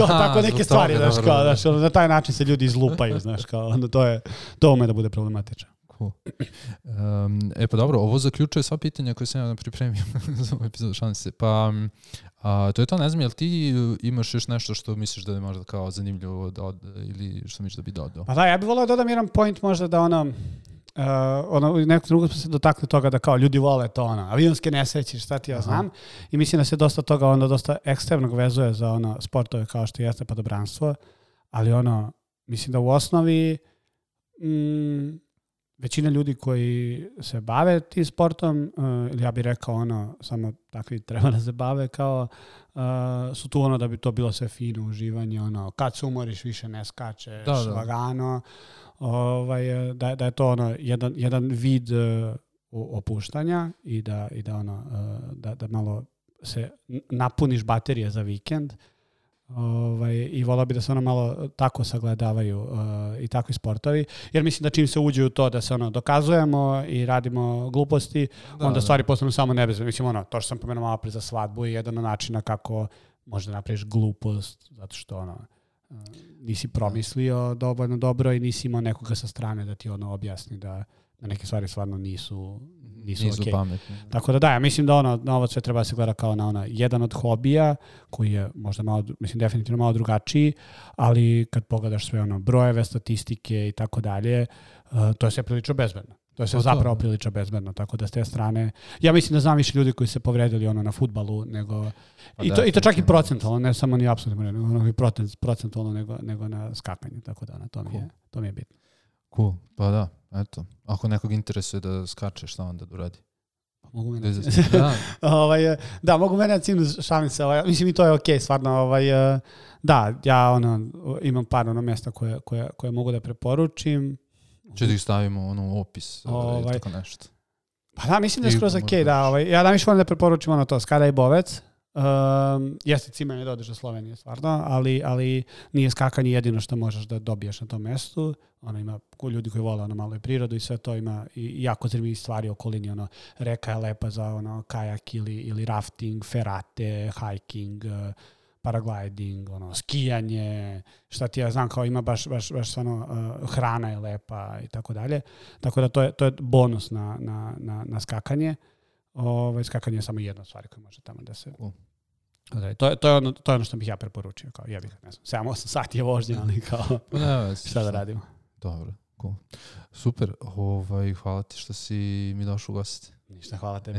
tako neke stvari, znaš, na taj način se ljudi izlupaju, znaš, kao onda to ume da bude problematično. Cool. Pa dobro, ovo zaključuje sva pitanja koje sam ja pripremio za ovu epizodu, šalim se. Pa to je to, ne znam, jel ti imaš još nešto što misliš da je možda kao zanimljivo ili što misliš da bi dodao? Pa da, ja bih volao da dodam jedan point možda da nekog drugog smo se dotakli toga da kao ljudi vole to avionske nesreće, šta ti ja znam. I mislim da se dosta toga dosta ekstremnog vezuje za sportove kao što jeste padobranstvo, ali mislim da u osnovi većina ljudi koji se bave tim sportom, ili ja bih rekao samo takvi treba da se bave kao su tu da bi to bilo sve fino uživanje, kad se umoriš više ne skačeš, lagano, da je to jedan vid opuštanja i da malo se napuniš baterije za vikend. I volao bi da se malo tako sagledavaju i takvi sportovi, jer mislim da čim se uđe u to da se dokazujemo i radimo gluposti, onda stvari postanu samo nebezbedne. Mislim, to što sam pomenuo malo pre za svadbu je jedan od načina kako možda napraviš glupost, zato što nisi promislio dovoljno dobro i nisi imao nekoga sa strane da ti objasni da da neke stvari stvarno nisu okej. Pametni. Tako da ja mislim da na ovo sve treba se gleda kao na jedan od hobija koji je možda malo, mislim definitivno malo drugačiji, ali kad pogledaš sve brojeve, statistike i tako dalje, to je sve prilično bezbedno. To je sve zapravo prilično bezbedno, tako da s te strane, ja mislim da znam više ljudi koji se povredili na fudbalu nego i to čak i procentualno, ne samo ni apsolutno, nego procentualno nego na skakanju, tako da to mi je bitno. Cool, pa da, eto. Ako nekog interesuje da skače, šta onda da uradi? Mogu mene. Da, mogu mene šalim se. Mislim i to je okej, stvarno. Da, ja imam par mjesta koje mogu da preporučim. Če da ih stavimo u opis ili tako nešto. Pa da, mislim da je skroz okej. Ja da više volim da preporučim to, Skada i Bovec. Jeste cimanje da odeš do Slovenije, stvarno, ali nije skakanje jedino što možeš da dobiješ na tom mestu. Ima ljudi koji vole malo i prirodu i sve to, ima i jako zanimljivih stvari u okolini. Reka je lepa za kajak ili rafting, ferate, hiking, paragliding, skijanje, šta ti ja znam, kao ima baš hrana je lepa i tako dalje. Tako da to je bonus na skakanje. Skakanje je samo jedna stvar koja može tamo da se... To je ono što bih ja preporučio. Kao, ja bih, ne znam, 7-8 sati je vožnje, ali kao šta da radimo. Dobro, cool. Super, hvala ti što si mi došao u gosti. Ništa, hvala tebi.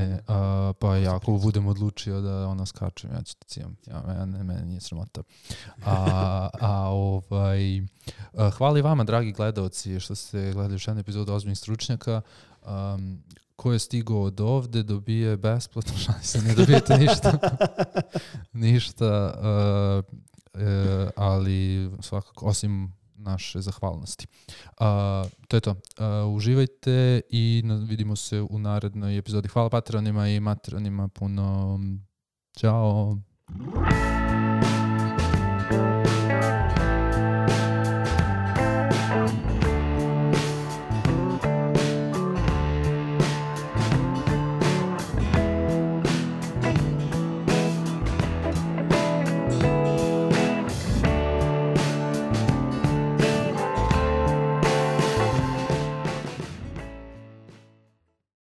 Pa ja ako budem odlučio da skačem, ja ću te cijam. Mene nije sramota. Hvala i vama, dragi gledalci, što ste gledali još jednu epizodu Ozbiljnih stručnjaka. Ko je stigao od ovde dobije besplatno, ne dobijete ništa, ali svakako, osim naše zahvalnosti. To je to. Uživajte i vidimo se u narednoj epizodi. Hvala patronima i matronima puno. Ćao!